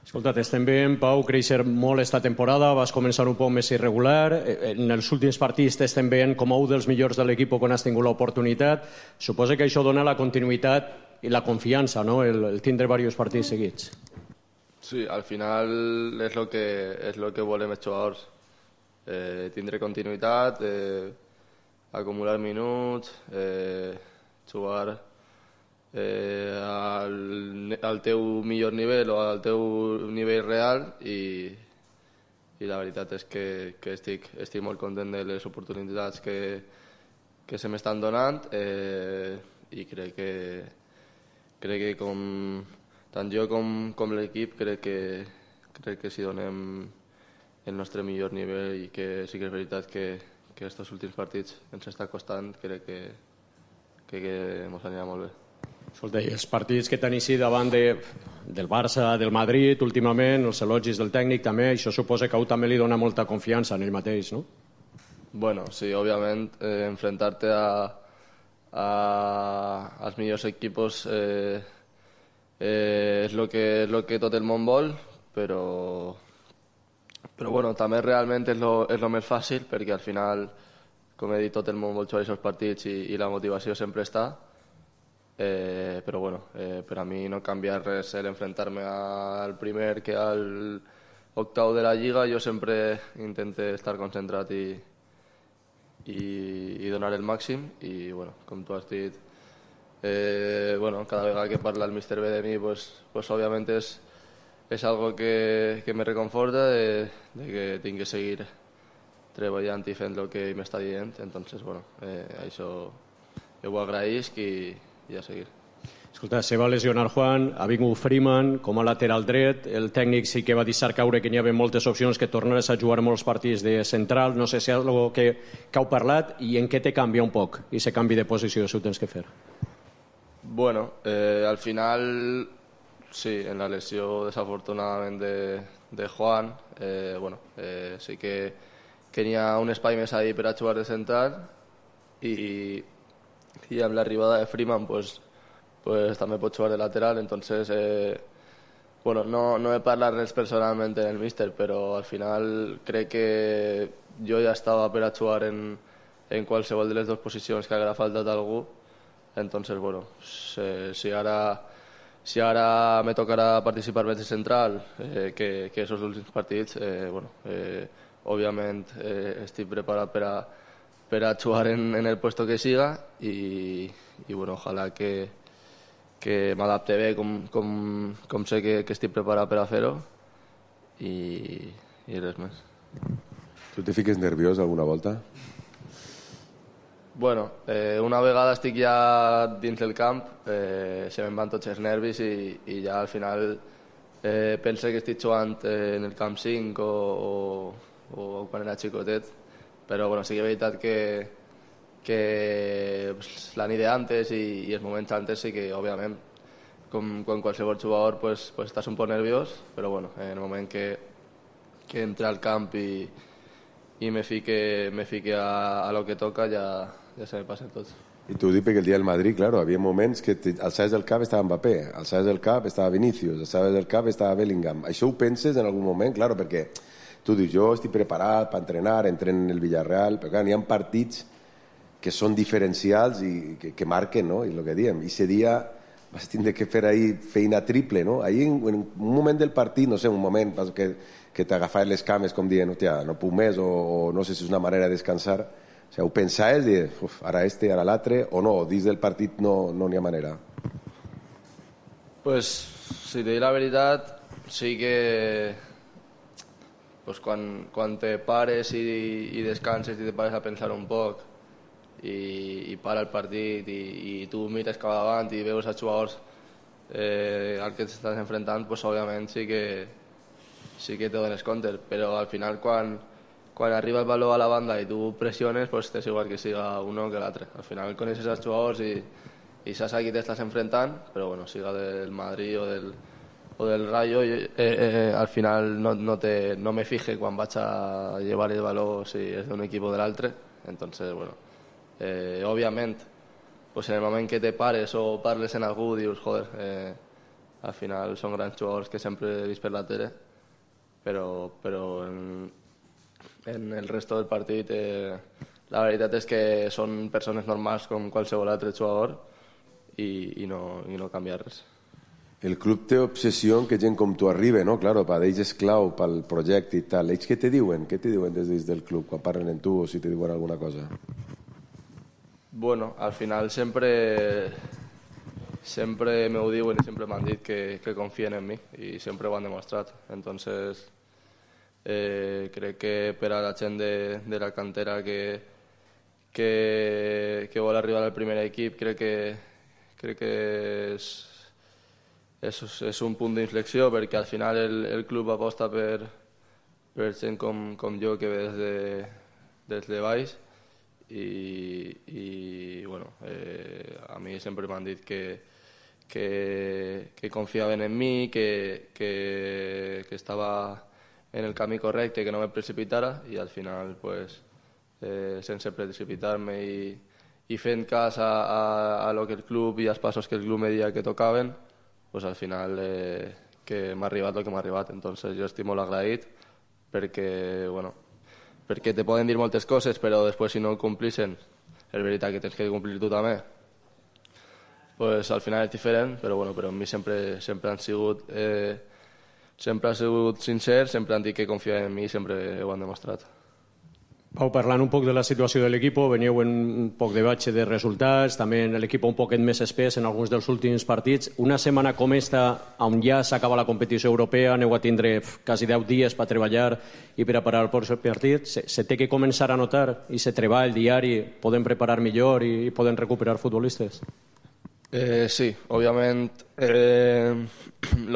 Escolta, t'estem veient, Pau, créixer molt esta temporada, vas començar un poc més irregular, en els últims partits t'estem veient com un dels millors de l'equip quan has tingut l'oportunitat. Suposa que això dona la continuïtat i la confiança, no?, el tindre diversos partits seguits. Sí, al final és lo que volem els jugadors, tindre continuïtat, acumular minuts, jugar al teu millor nivell o al teu nivell real i la veritat és que estic molt content de les oportunitats que se m'estan donant i crec que tant jo com l'equip crec que si donem el nostre millor nivell i que sí que és veritat que aquests últims partits ens està costant, crec que ens anirà molt bé. Escolta, i els partits que t'han eixit davant del Barça, del Madrid, últimament, els elogis del tècnic també, això suposa que a tu també li dona molta confiança en ell mateix, no? Bueno, sí, òbviament, enfrontar-te als millors equipos és el que tot el món vol, però bueno, també realment és el més fàcil, perquè al final, com he dit, tot el món vol jugar aquests partits i la motivació sempre està. Però bueno, per a mi no canvia res l'enfrontar-me al primer que al octau de la Lliga, jo sempre intento estar concentrat i donar el màxim, i bueno, com tu has dit, cada vegada que parla el Mr. B de mi, pues òbviament és algo que me reconforta de que tinc que seguir treballant i fent el que m'està dient. Entonces, això jo ho agraïsc i a seguir. Escolta, se va lesionar Juan, ha vingut Freeman com a lateral dret, el tècnic sí que va deixar caure que n'hi havia moltes opcions, que tornares a jugar molts partits de central, no sé si és algo que heu parlat i en què te canvia un poc i se canvi de posició si ho tens que fer. Bueno, al final sí, en la lesió desafortunadament de Juan, sí que n'hi ha un espai més ahí per a jugar de central i amb l'arribada de Freeman pues també pot jugar de lateral. Entonces no he parlat res personalment en el míster, però al final crec que jo ja estava per a jugar en qualsevol de les dues posicions que haguera faltat algú. Entonces si ara me tocarà participar més de central, que esos últims partits, òbviament estic preparat per a jugar en el puesto que siga i ojalà que m'adapte bé com sé que estic preparat per a fer-ho i res més. Tu te fiques nerviós alguna volta? Una vegada estic ja dins del camp, se me'n van tots els nervis i ja al final penso que estic jugant en el camp 5 o quan era xicotet, però sí que és veritat que la nit d'antes i els moments antes sí que, òbviament, com qualsevol jugador, pues estàs un poc nerviós, però en el moment que entra al camp i me fique a lo que toca ja se me passa tot. I t'ho dic perquè el dia del Madrid, claro, havia moments que alçaves del cap estava Mbappé, alçaves del cap estava Vinícius, alçaves del cap estava Bellingham. Això ho penses en algun moment? Claro, perquè tu dius, jo estic preparat per entrenar, entreno en el Villarreal, però clar, n'hi ha partits que són diferencials i que marquen, no? I el que diem, i ese dia vas tindre que fer ahí feina triple, no? Ahí en un moment del partit, no sé, un moment que t'agafaves les cames com dient, hòstia, no puc més, o no sé si és una manera de descansar. O sigui, ho pensaves de, ara ara l'altre, o no, dins del partit no n'hi ha manera? Pues, si te dic la veritat, sí que quan te pares i descanses i te pares a pensar un poc i para el partit i tu mires cap davant i veus els jugadors al que t'estàs enfrontant, pues òbviament sí que te dones compte, però al final quan arriba el baló a la banda i tu pressiones, pues és igual que siga uno que l'altre. Al final coneixes els jugadors i saps a qui t'estàs enfrontant, però siga del Madrid o del Rayo, al final no me fije quan vaig a llevar el baló si és d'un equip o de l'altre. Entonces, òbviament, pues en el moment que te pares o parles en algú, dius, joder, al final són grans jugadors que sempre he vist per la tele, però en el resto del partit la veritat és que són persones normals com qualsevol altre jugador i no canvia res. El club té obsessió que gent com tu arriba, no? Claro, per ells és clau pel projecte i tal. Ells què te diuen? Què te diuen des del club quan parlen amb tu o si te diuen alguna cosa? Al final sempre m'ho diuen i sempre m'han dit que confien en mi i sempre ho han demostrat. Entonces crec que per a la gent de la cantera que vol arribar al primer equip crec que és un punt d'inflexió, perquè al final el club aposta per gent com jo que ve des de baix i a mi sempre m'han dit que confiaven en mi, que estava en el camí correcte, que no me precipitara, i al final sense precipitar-me i fent cas a lo que el club i als passos que el club me deia que tocaven, al final que m'ha arribat el que m'ha arribat. Entonces jo estic molt agraït perquè te poden dir moltes coses, però després si no ho complixen és veritat que tens que complir tu també, al final és diferent, però per mi sempre han sigut sempre ha sigut sincer, sempre han dit que confiaven en mi i sempre ho han demostrat. Pau, parlant un poc de la situació de l'equip, veníeu en un poc de batxe de resultats, també l'equip un poquet més espès en alguns dels últims partits. Una setmana com esta, on ja s'acaba la competició europea, aneu a tindre quasi 10 dies per treballar i preparar el pròxim partit. Se té que començar a notar i se treball diari, poden preparar millor i poden recuperar futbolistes? Sí, òbviament el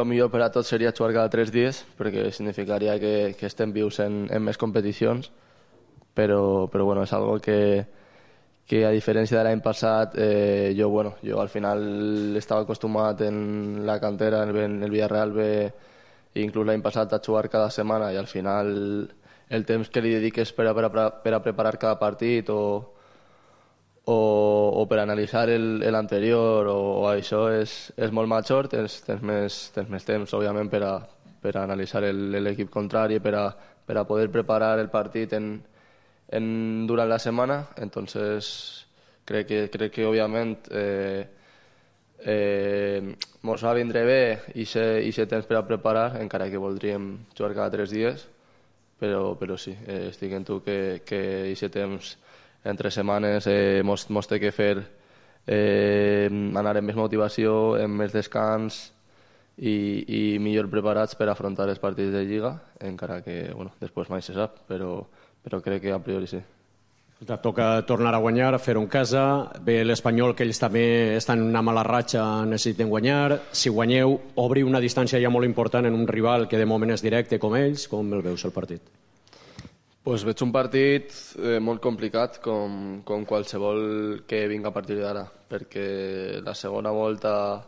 millor per a tots seria jugar cada 3 dies, perquè significaria que estem vius en més competicions, però bueno, és algo que a diferència de l'any passat jo al final estava acostumat en la cantera, en el Villarreal B, inclús l'any passat a jugar cada setmana, i al final el temps que li dediques per a preparar cada partit o per analitzar l'anterior o això és molt major, tens més temps, òbviament, per a analitzar l'equip contrari, per a poder preparar el partit durant la setmana. Entonces crec que òbviament mos va vindre bé i ser temps per a preparar, encara que voldríem jugar cada 3 dies, però sí, estic en tu que aquest temps entre setmanes mos té que fer anar amb més motivació, amb més descans i millor preparats per afrontar els partits de Lliga, encara que després mai se sap, però crec que a priori sí. Toca tornar a guanyar, fer-ho en casa. Ve l'Espanyol, que ells també estan en una mala ratxa, necessiten guanyar. Si guanyeu, obriu una distància ja molt important en un rival que de moment és directe com ells. Com el veus, el partit? Pues veig un partit molt complicat, com qualsevol que vinga a partir d'ara, perquè la segona volta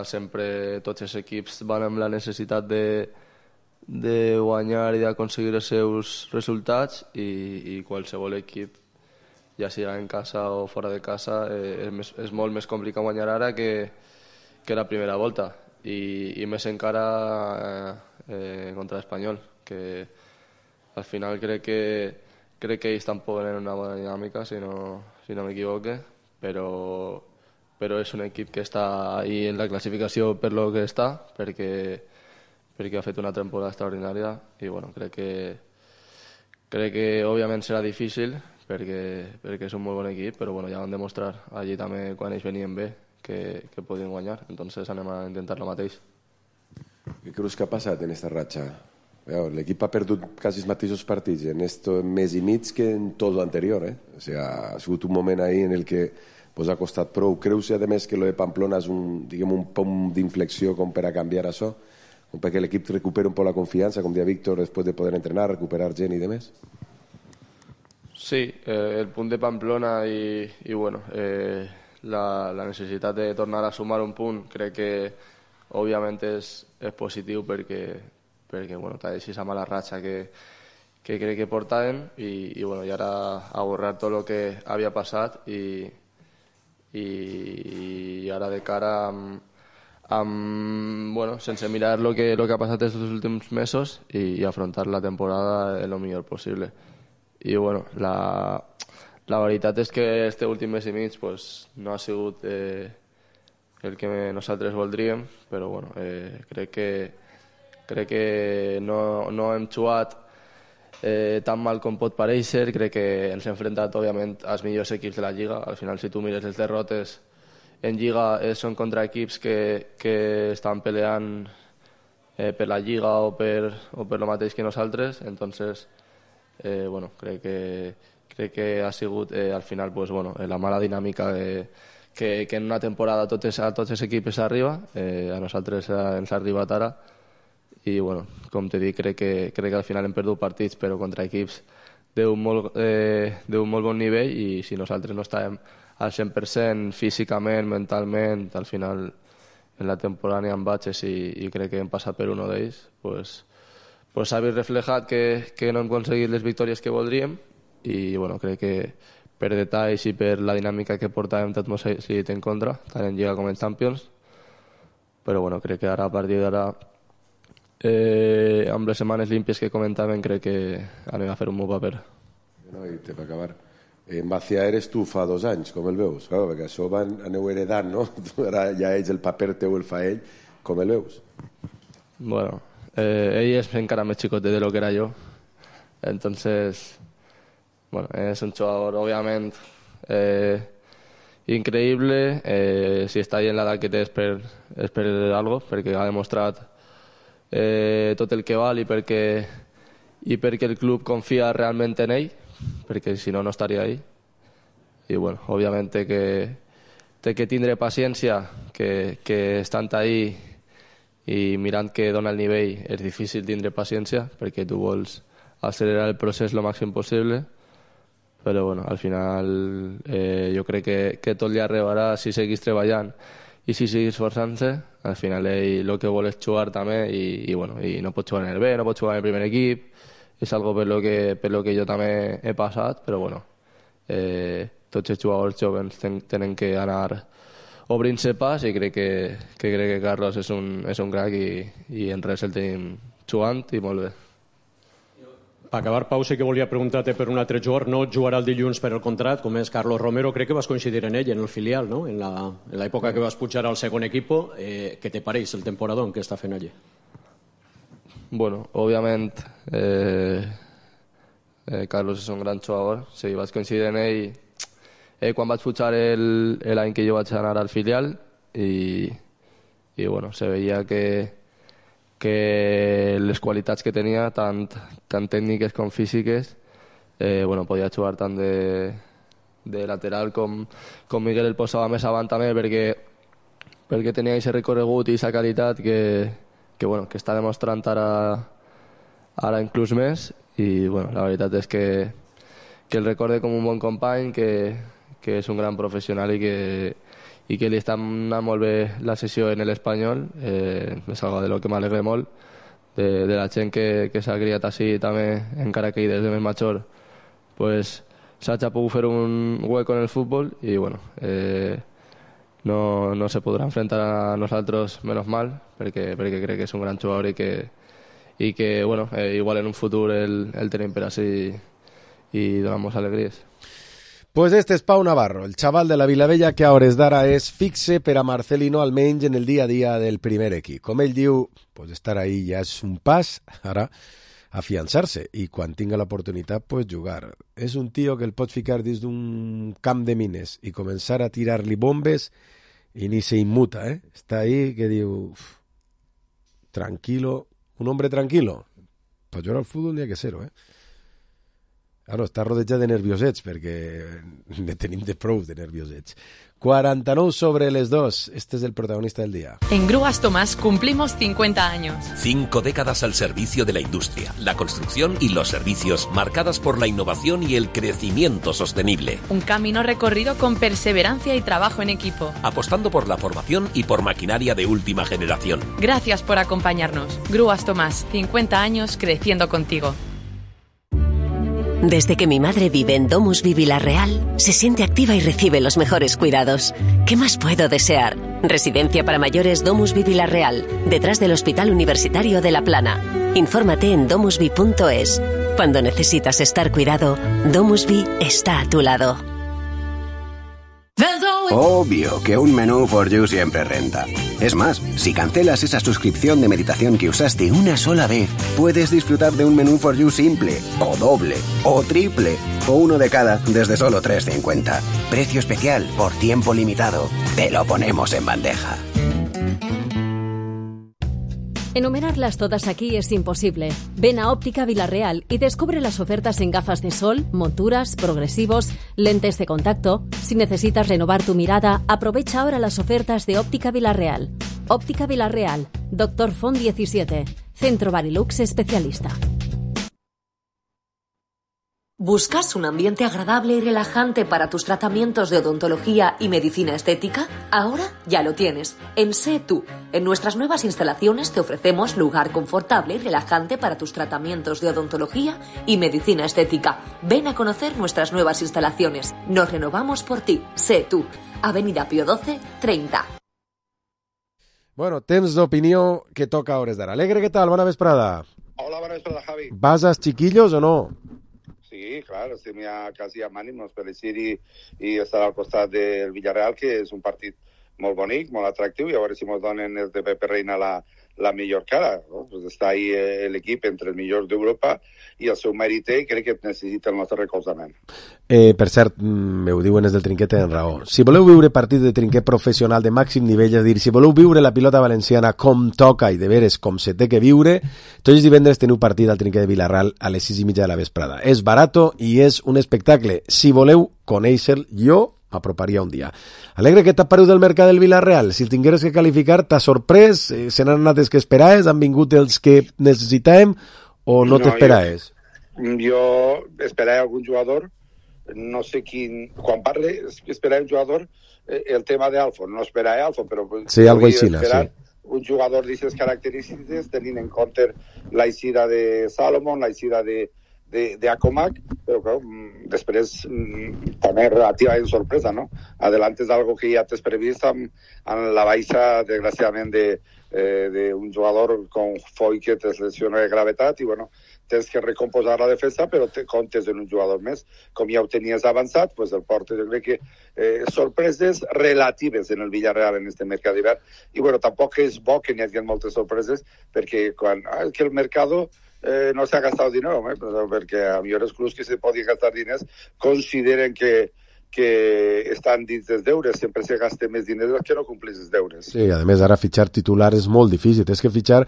sempre tots els equips van amb la necessitat de guanyar i d'aconseguir els seus resultats, i qualsevol equip, ja sigui en casa o fora de casa, és molt més complicat guanyar ara que la primera volta, i més encara contra l'Espanyol, que al final crec que ells tampoc tenen una bona dinàmica, si no m'equivoque, però és un equip que està ahí en la classificació per lo que està, perquè ha fet una temporada extraordinària, i crec que òbviament serà difícil perquè és un molt bon equip, però ja van demostrar allí també, quan ells venien bé, que podien guanyar. Entonces anem a intentar lo mateix. Què creus que ha passat en aquesta ratxa? L'equip ha perdut quasi els mateixos partits en este mes i mig que en tot l'anterior. O sigui, ha sigut un moment ahí en el que ha costat prou. Creus, a més, que lo de Pamplona és un punt d'inflexió com per a canviar això? Com perquè l'equip recupera un poc la confiança, com deia Víctor, després de poder entrenar, recuperar gent i demés? Sí, el punt de Pamplona i la necessitat de tornar a sumar un punt, crec que òbviament és positiu perquè t'ha deixat a mala ratxa que crec que portaven, i ara a borrar tot el que havia passat i ara de cara sense mirar lo que ha passat estos últims mesos i afrontar la temporada el millor possible. I la veritat és que este últim mes i mig no ha sigut el que nosaltres voldríem, però crec que no hem jugat tan mal com pot parèixer. Crec que ens hem enfrontat òbviament als millors equips de la Lliga. Al final, si tu mires les derrotes en Lliga, són contra equips que estan peleant per la Lliga o per lo mateix que nosaltres. Entonces crec que ha sigut al final la mala dinàmica que en una temporada a tots els equips arriba, a nosaltres ens ha arribat ara, i com t'he dit, crec que al final hem perdut partits, però contra equips d'un molt bon nivell, i si nosaltres no estàvem al 100% físicament, mentalment, al final en la temporada n'hi ha batxes i crec que hem passat per un d'ells, s'ha vist reflejat que no hem aconseguit les victòries que voldríem, i crec que per detalls i per la dinàmica que portàvem tot mos ha decidit en contra, tant en Lliga com en Champions, però crec que ara, a partir d'ara, amb les setmanes límpies que comentàvem, crec que anem a fer un bon paper. I per acabar, En Bàcia eres tu fa 2 anys, com el veus? Clar, perquè això aneu heredant, no? Ara ja ell, el paper teu el fa ell, com el veus? Bueno, ell és encara més xicotet de lo que era yo. Entonces, bueno, es un jugador obviamente increïble. Si està ahí en l'edat que té és per algo, perquè ha demostrat tot el que val i perquè el club confia realment en ell, perquè si no, no estaria ahí. I bueno, obviamente que té que tindre paciència, que estant ahí i mirant que dona el nivell és difícil tindre paciència, perquè tu vols accelerar el procés lo màxim possible, però bueno, al final jo crec que tot li arribarà si seguís treballant i si seguís esforçant-se. Al final ell el que vol és jugar també i no pot jugar en el B, no pot jugar en el primer equip. És algo per lo que jo també he passat, però bueno, tots els jugadors joves tenen que anar obrint-se pas i crec que Carlos és un crac i en res el tenim jugant i molt bé. Per acabar, Pau, sí que volia preguntar-te per un altre jugador. No jugarà el dilluns per el contrat, com és Carlos Romero. Crec que vas coincidir en ell, en el filial, no? En l'època que vas pujar al segon equip. Què te pareix el temporadón que està fent allí? Bueno, òbviament Carlos és un gran jugador. Sí, vaig coincidir en ell quan vaig pujar l'any que jo vaig anar al filial i bueno, se veia que les qualitats que tenia, tant tècniques com físiques, podia jugar tant de lateral com Miguel el posava més avant també, perquè tenia aquest recorregut i aquesta qualitat que està demostrant ara inclús més. I la veritat és que el recorde com un bon company, que és un gran professional i que li està anant molt bé la sessió en l'Espanyol. És algo de lo que m'alegre molt, de la gent que s'ha criat així també, encara que des de més major s'ha pogut fer un hueco en el futbol i no se podrà enfrentar a nosaltres, menos mal, perquè crec que és un gran jugador i que igual en un futur el tenim per així i donamos alegries. Pues este és Pau Navarro, el xaval de la Vilavella que a hores d'ara és fixe per a Marcelino, almenys en el dia a dia del primer equip. Com ell diu, pues estar ahí ja és un pas, ara, afiançar-se, i quan tinga l'oportunitat, pues jugar. És un tio que el pot ficar dins d'un camp de mines i començar a tirar-li bombes i ni se inmuta, Està ahí que diu, tranquilo, un hombre tranquilo. Per jugar al futbol n'hi ha que ser-ho, Claro, està rodejat de nerviosets, perquè ne tenim de prou de nerviosets. 49 sobre les 2. Este es el protagonista del día. En Grúas Tomás cumplimos 50 años. 5 décadas al servicio de la industria, la construcción y los servicios, marcadas por la innovación y el crecimiento sostenible. Un camino recorrido con perseverancia y trabajo en equipo. Apostando por la formación y por maquinaria de última generación. Gracias por acompañarnos. Grúas Tomás, 50 años creciendo contigo. Desde que mi madre vive en Domusvi Vilarreal, se siente activa y recibe los mejores cuidados. ¿Qué más puedo desear? Residencia para mayores Domusvi Vilarreal, detrás del Hospital Universitario de La Plana. Infórmate en domusvi.es. Cuando necesitas estar cuidado, Domusvi está a tu lado. Obvio que un menú For You siempre renta. Es más, si cancelas esa suscripción de meditación que usaste una sola vez, puedes disfrutar de un menú For You simple, o doble, o triple, o uno de cada desde solo 3,50. Precio especial por tiempo limitado. Te lo ponemos en bandeja. Enumerarlas todas aquí es imposible. Ven a Óptica Vilarreal y descubre las ofertas en gafas de sol, monturas, progresivos, lentes de contacto. Si necesitas renovar tu mirada, aprovecha ahora las ofertas de Óptica Vilarreal. Óptica Vilarreal, Dr. Font 17, Centro Barilux Especialista. ¿Buscas un ambiente agradable y relajante para tus tratamientos de odontología y medicina estética? Ahora ya lo tienes. En Sé Tú. En nuestras nuevas instalaciones te ofrecemos lugar confortable y relajante para tus tratamientos de odontología y medicina estética. Ven a conocer nuestras nuevas instalaciones. Nos renovamos por ti. Sé Tú. Avenida Pío XII, 30. Bueno, temps d'opinió que toca a hores d'ara. Alegre, què tal? Bona vesprada. Hola, bona vesprada, Javi. ¿Vas als chiquillos o no? Sí, Sí, claro, estem ja quasi amb ànims per eixir i estar al costat del Villarreal, que és un partit molt bonic, molt atractiu, i a veure si ens donen els de Pepe Reina la millor cara, no? Pues està ahí l'equip entre els millors d'Europa i el seu mèrit i crec que necessita el nostre recolzament. Per cert, ho diuen des del Trinquet, tenen raó. Si voleu viure partits de trinquet professional de màxim nivell, és a dir, si voleu viure la pilota valenciana com toca i de veres com se té que viure, tots els divendres teniu partit al Trinquet de Vilarreal a les 6:30 de la vesprada. És barato i és un espectacle. Si voleu conèixer, jo m'aproparia un dia. Alegre, què t'ha paregut del mercat del Vilarreal? Si el tingueres que qualificar, t'ha sorprès? Se n'han anat els que esperaves? Han vingut els que necessitàvem? O no t'esperaves? Jo esperava algun jugador, no sé quin... Quan parle, esperava un jugador, el tema d'Alfon, no esperava Alfon, però... Sí, algo així, sí. Un jugador d'aquestes característiques, tenint en compte l'aixida de Salomon, l'aixida de Acomac, però clar, després també relativament sorpresa, no? Adelantes algo que ja t'has previst amb la baixa, desgraciadament, d'un jugador com Foy que te lesiona de gravetat i, bueno, tens que recomposar la defensa, però te comptes en un jugador més. Com ja ho tenies avançat, pues el porter, jo crec que sorpreses relatives en el Villarreal en este mercat d'hivern. I, bueno, tampoc és bo que n'hi hagi moltes sorpreses, perquè quan que el mercado no se ha gastado dinero, perquè a millors clubs que se podien gastar diners consideren que estan dins dels deures, sempre se gasten més diners que no complis els deures. Sí, a més ara fitxar titular és molt difícil, tens que fitxar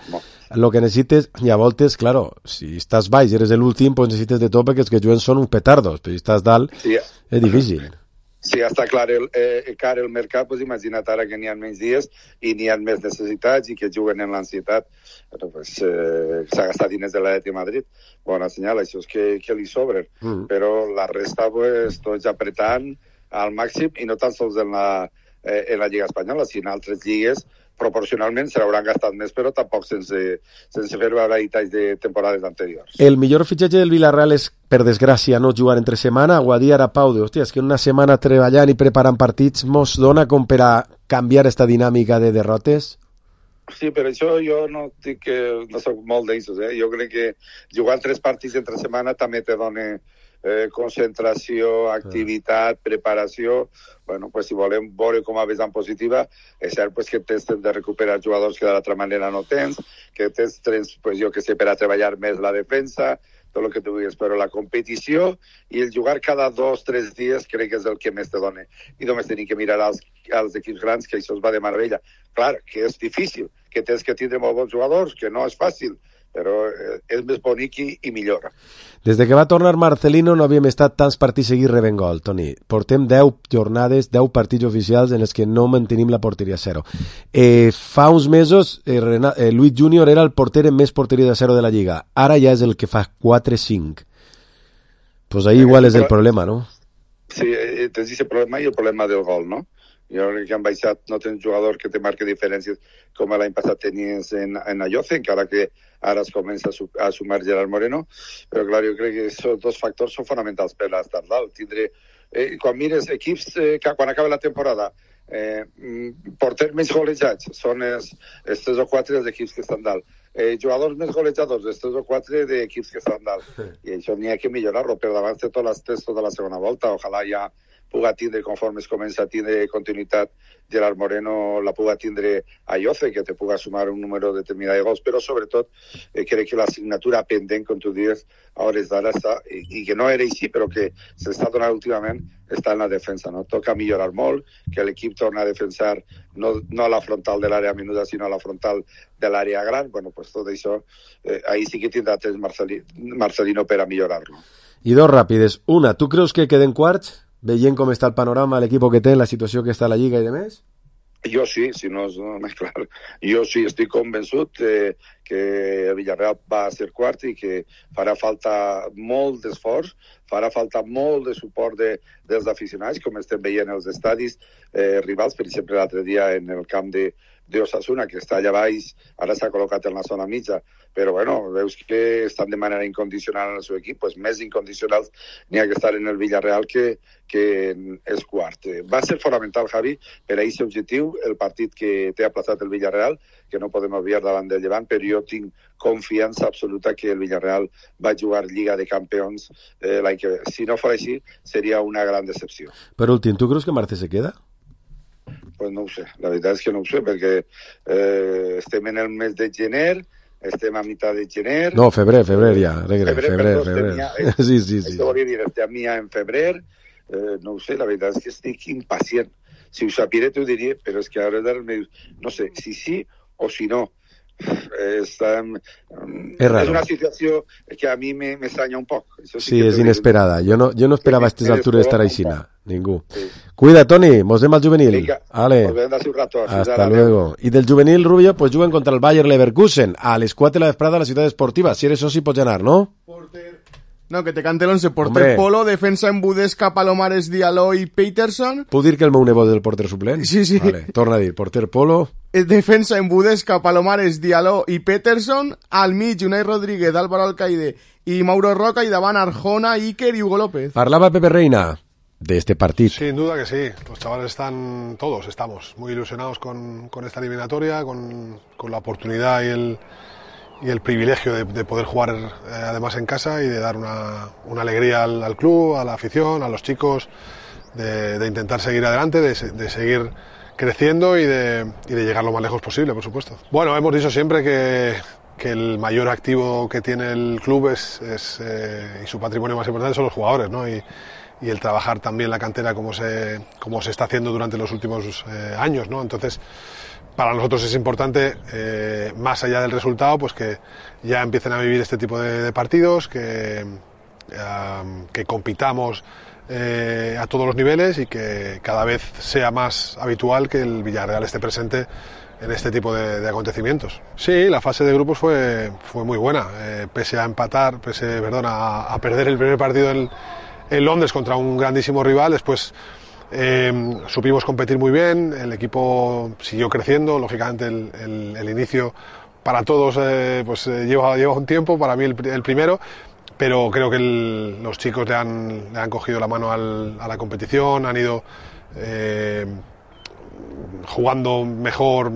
lo que necessites, i a voltes, claro, si estàs baix i eres l'últim, pues necessites de tot perquè els que juguen són uns petardos, però si estàs dalt és difícil. Si ja està clar el mercat, pues imagina't ara que n'hi ha menys dies i n'hi ha més necessitats i que juguen en l'ansietat. Pues, s'ha gastat diners de l'Atlètic de Madrid. Bona senyal, això és que li sobren. Però la resta, pues, tots apretant al màxim, i no tan sols en la Lliga Espanyola, sinó en altres lligues, proporcionalment se l'hauran gastat més, però tampoc sense fer veure detalls de temporades anteriors. El millor fitxatge del Villarreal és, per desgràcia, no jugar entre setmana. Ho ha dit ara Pau, hòstia, és que una setmana treballant i preparant partits mos dona com per a canviar esta dinàmica de derrotes? Sí, per això jo no dic que no soc molt d'ells, Jo crec que jugar 3 partits entre setmana també te dona concentració, activitat, preparació. Bueno, pues si volem veure com a vessant positiva, és cert pues, que tens de recuperar jugadors que d'altra manera no tens, que tens, pues, jo que sé, per a treballar més la defensa, tot el que tu vulguis, però la competició i el jugar cada 2 o 3 dies crec que és el que més te dona. I només tenim que mirar als equips grans, que això es va de meravella. Clar, que és difícil, que tens que tindre molt bons jugadors, que no és fàcil, però és més bonic i millor. Des de que va tornar Marcelino no havíem estat tants partits seguits rebent gol, Toni. Portem 10 jornades, 10 partits oficials en els que no mantenim la porteria a 0. Fa uns mesos Luis Junior era el porter amb més porteria de 0 de la Lliga. Ara ja és el que fa 4-5. Pues ahí igual és el problema, no? Sí, tens aquest problema i el problema del gol, no? Jo crec que han baixat, no tens jugador que te marque diferències com l'any passat tenies en Ayoce, encara que ara es comença a sumar Gerard Moreno, però clar, jo crec que aquests 2 factors són fonamentals per estar dalt. Quan mires equips que quan acaba la temporada porters més golejats són els 3 o 4 dels equips que estan dalt, jugadors més golejadors els 3 o 4 d'equips que estan dalt, i això n'hi ha que millorar-lo per davant de totes les tests tota la segona volta. Ojalà ja puga tindre, conforme es comença a tindre continuïtat Gerard Moreno, la puga tindre Ayoce, que te puga sumar un número determinat de gols, però sobretot crec que la assignatura pendent, com tu dius, a hores d'ara està, i que no era així, però que s'està donant últimament, està en la defensa, no? Toca millorar molt, que l'equip torna a defensar no a la frontal de l'àrea menuda, sinó a la frontal de l'àrea gran. Bueno, pues tot això, ahí sí que tindrà temps Marcelino per a millorar-lo. I 2 ràpides. Una, tu creus que queden quarts? Veient com està el panorama, l'equip que té, la situació que està a la Lliga i demés? Jo sí, si no és més clar. Jo sí estic convençut que el Villarreal va a ser quart i que farà falta molt d'esforç, farà falta molt de suport dels aficionats, com estem veient els estadis rivals. Per exemple, l'altre dia en el camp d'Osasuna, que està allà baix, ara s'ha col·locat en la zona mitja, però bueno, veus que estan de manera incondicional en el seu equip, pues més incondicionals n'hi ha que estar en el Villarreal que és quart. Va ser fonamental, Javi, per a aquest objectiu, el partit que té aplaçat el Villarreal, que no podem obviar davant del Llevant, però jo tinc confiança absoluta que el Villarreal va jugar Lliga de Campeons l'any que ve. Si no fos així, seria una gran decepció. Per últim, ¿tú crees que Marce se queda? Pues no ho sé, la veritat és que no ho sé, perquè estem en el mes de gener, estem a mitad de gener... No, febrer ja, febrer. Sí. Això volia dir, estem ja en febrer, no ho sé, la veritat és que estic impacient. Si ho sapiré t'ho diria, però és que ara no sé si sí o si no. És una situació que a mi m'estranya un poc. Sí, és inesperada. Jo no esperava a aquestes altures estar així. Ningú. Cuida, Toni, mos vemos al juvenil. Vale. Hasta luego. Y del juvenil, Rubio, pues juguen contra el Bayer Leverkusen a les 4 de la vesprada a la ciutat esportiva. Si eres soci pots anar, no? No, que te cante l'11. Porter Polo, defensa en Budesca, Palomares, Diallo i Peterson. Puc dir que el meu nebot és el porter suplent? Sí. Vale, torna a dir, porter Polo. Defensa en Budesca, Palomares, Diallo i Peterson. Al mig, Unai Rodríguez, Álvaro Alcaide i Mauro Roca, i davant Arjona, Iker y Hugo López. Parlava Pepe Reina de este partido. Sin duda que sí, los chavales estamos muy ilusionados con esta eliminatoria, con la oportunidad y el privilegio de poder jugar además en casa y de dar una alegría al club, a la afición, a los chicos, de intentar seguir adelante, de seguir creciendo y de llegar lo más lejos posible, por supuesto. Bueno, hemos dicho siempre que el mayor activo que tiene el club y su patrimonio más importante son los jugadores, ¿no? Y el trabajar también la cantera como se está haciendo durante los últimos años, ¿no? Entonces, para nosotros es importante, más allá del resultado, pues que ya empiecen a vivir este tipo de partidos, que compitamos a todos los niveles y que cada vez sea más habitual que el Villarreal esté presente en este tipo de acontecimientos. Sí, la fase de grupos fue muy buena, pese a perder el primer partido en Londres contra un grandísimo rival. Después supimos competir muy bien, el equipo siguió creciendo, lógicamente el inicio para todos lleva un tiempo, para mí el primero, pero creo que los chicos le han cogido la mano a la competición, han ido jugando mejor,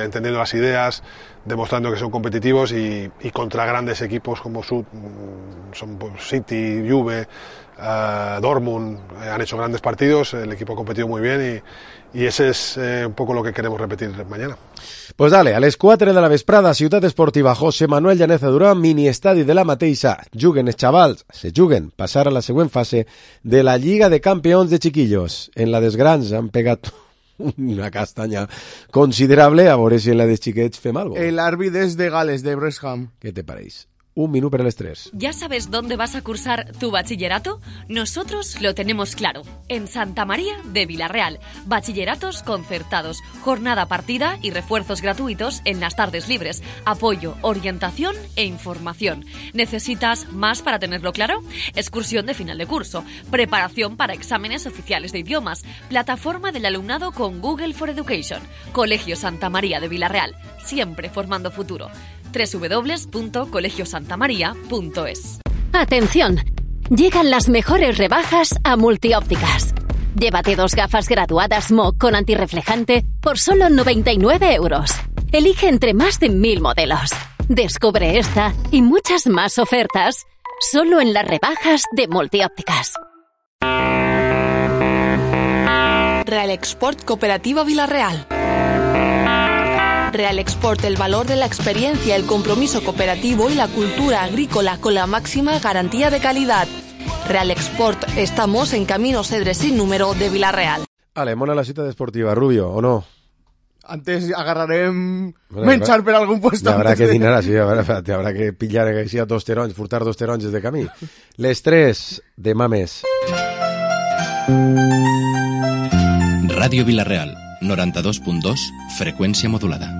entendiendo las ideas, demostrando que son competitivos y contra grandes equipos como City, Juve, Dortmund, han hecho grandes partidos, el equipo ha competido muy bien y ese es un poco lo que queremos repetir mañana. Pues dale, a les 4 de la vesprada, Ciutat Esportiva José Manuel Llaneza Durán, mini estadi de la Mateixa. Juguen els xavals, passar a la següent fase de la Lliga de Campeons de Chiquillos. En la dels grans han pegat una castanya considerable, a veure si en la de xiquets fem algo. El árbitro es de Gales, de Bresham. ¿Qué te pareix? Un minuto para el estrés. ¿Ya sabes dónde vas a cursar tu bachillerato? Nosotros lo tenemos claro. En Santa María de Villarreal. Bachilleratos concertados, jornada partida y refuerzos gratuitos en las tardes libres. Apoyo, orientación e información. ¿Necesitas más para tenerlo claro? Excursión de final de curso. Preparación para exámenes oficiales de idiomas. Plataforma del alumnado con Google for Education. Colegio Santa María de Villarreal. Siempre formando futuro. www.colegiosantamaria.es. Atención, llegan las mejores rebajas a Multiópticas. Llévate 2 gafas graduadas Smog con antirreflejante por solo 99 euros. Elige entre más de 1000 modelos. Descubre esta y muchas más ofertas solo en las rebajas de Multiópticas. Real Export Cooperativa Villarreal. Real Export, el valor de la experiencia, el compromiso cooperativo y la cultura agrícola con la máxima garantía de calidad. Real Export, estamos en Camino Cedre sin número de Villarreal. Vale, mona la cita deportiva, Rubio, ¿o no? Antes agarraré menjar per algun puesto. Habrá que dinar así, habrá que pillar així a 2 taronys, furtar 2 taronges de camí. Les 3 de Mames. Ràdio Villarreal, 92.2, freqüència modulada.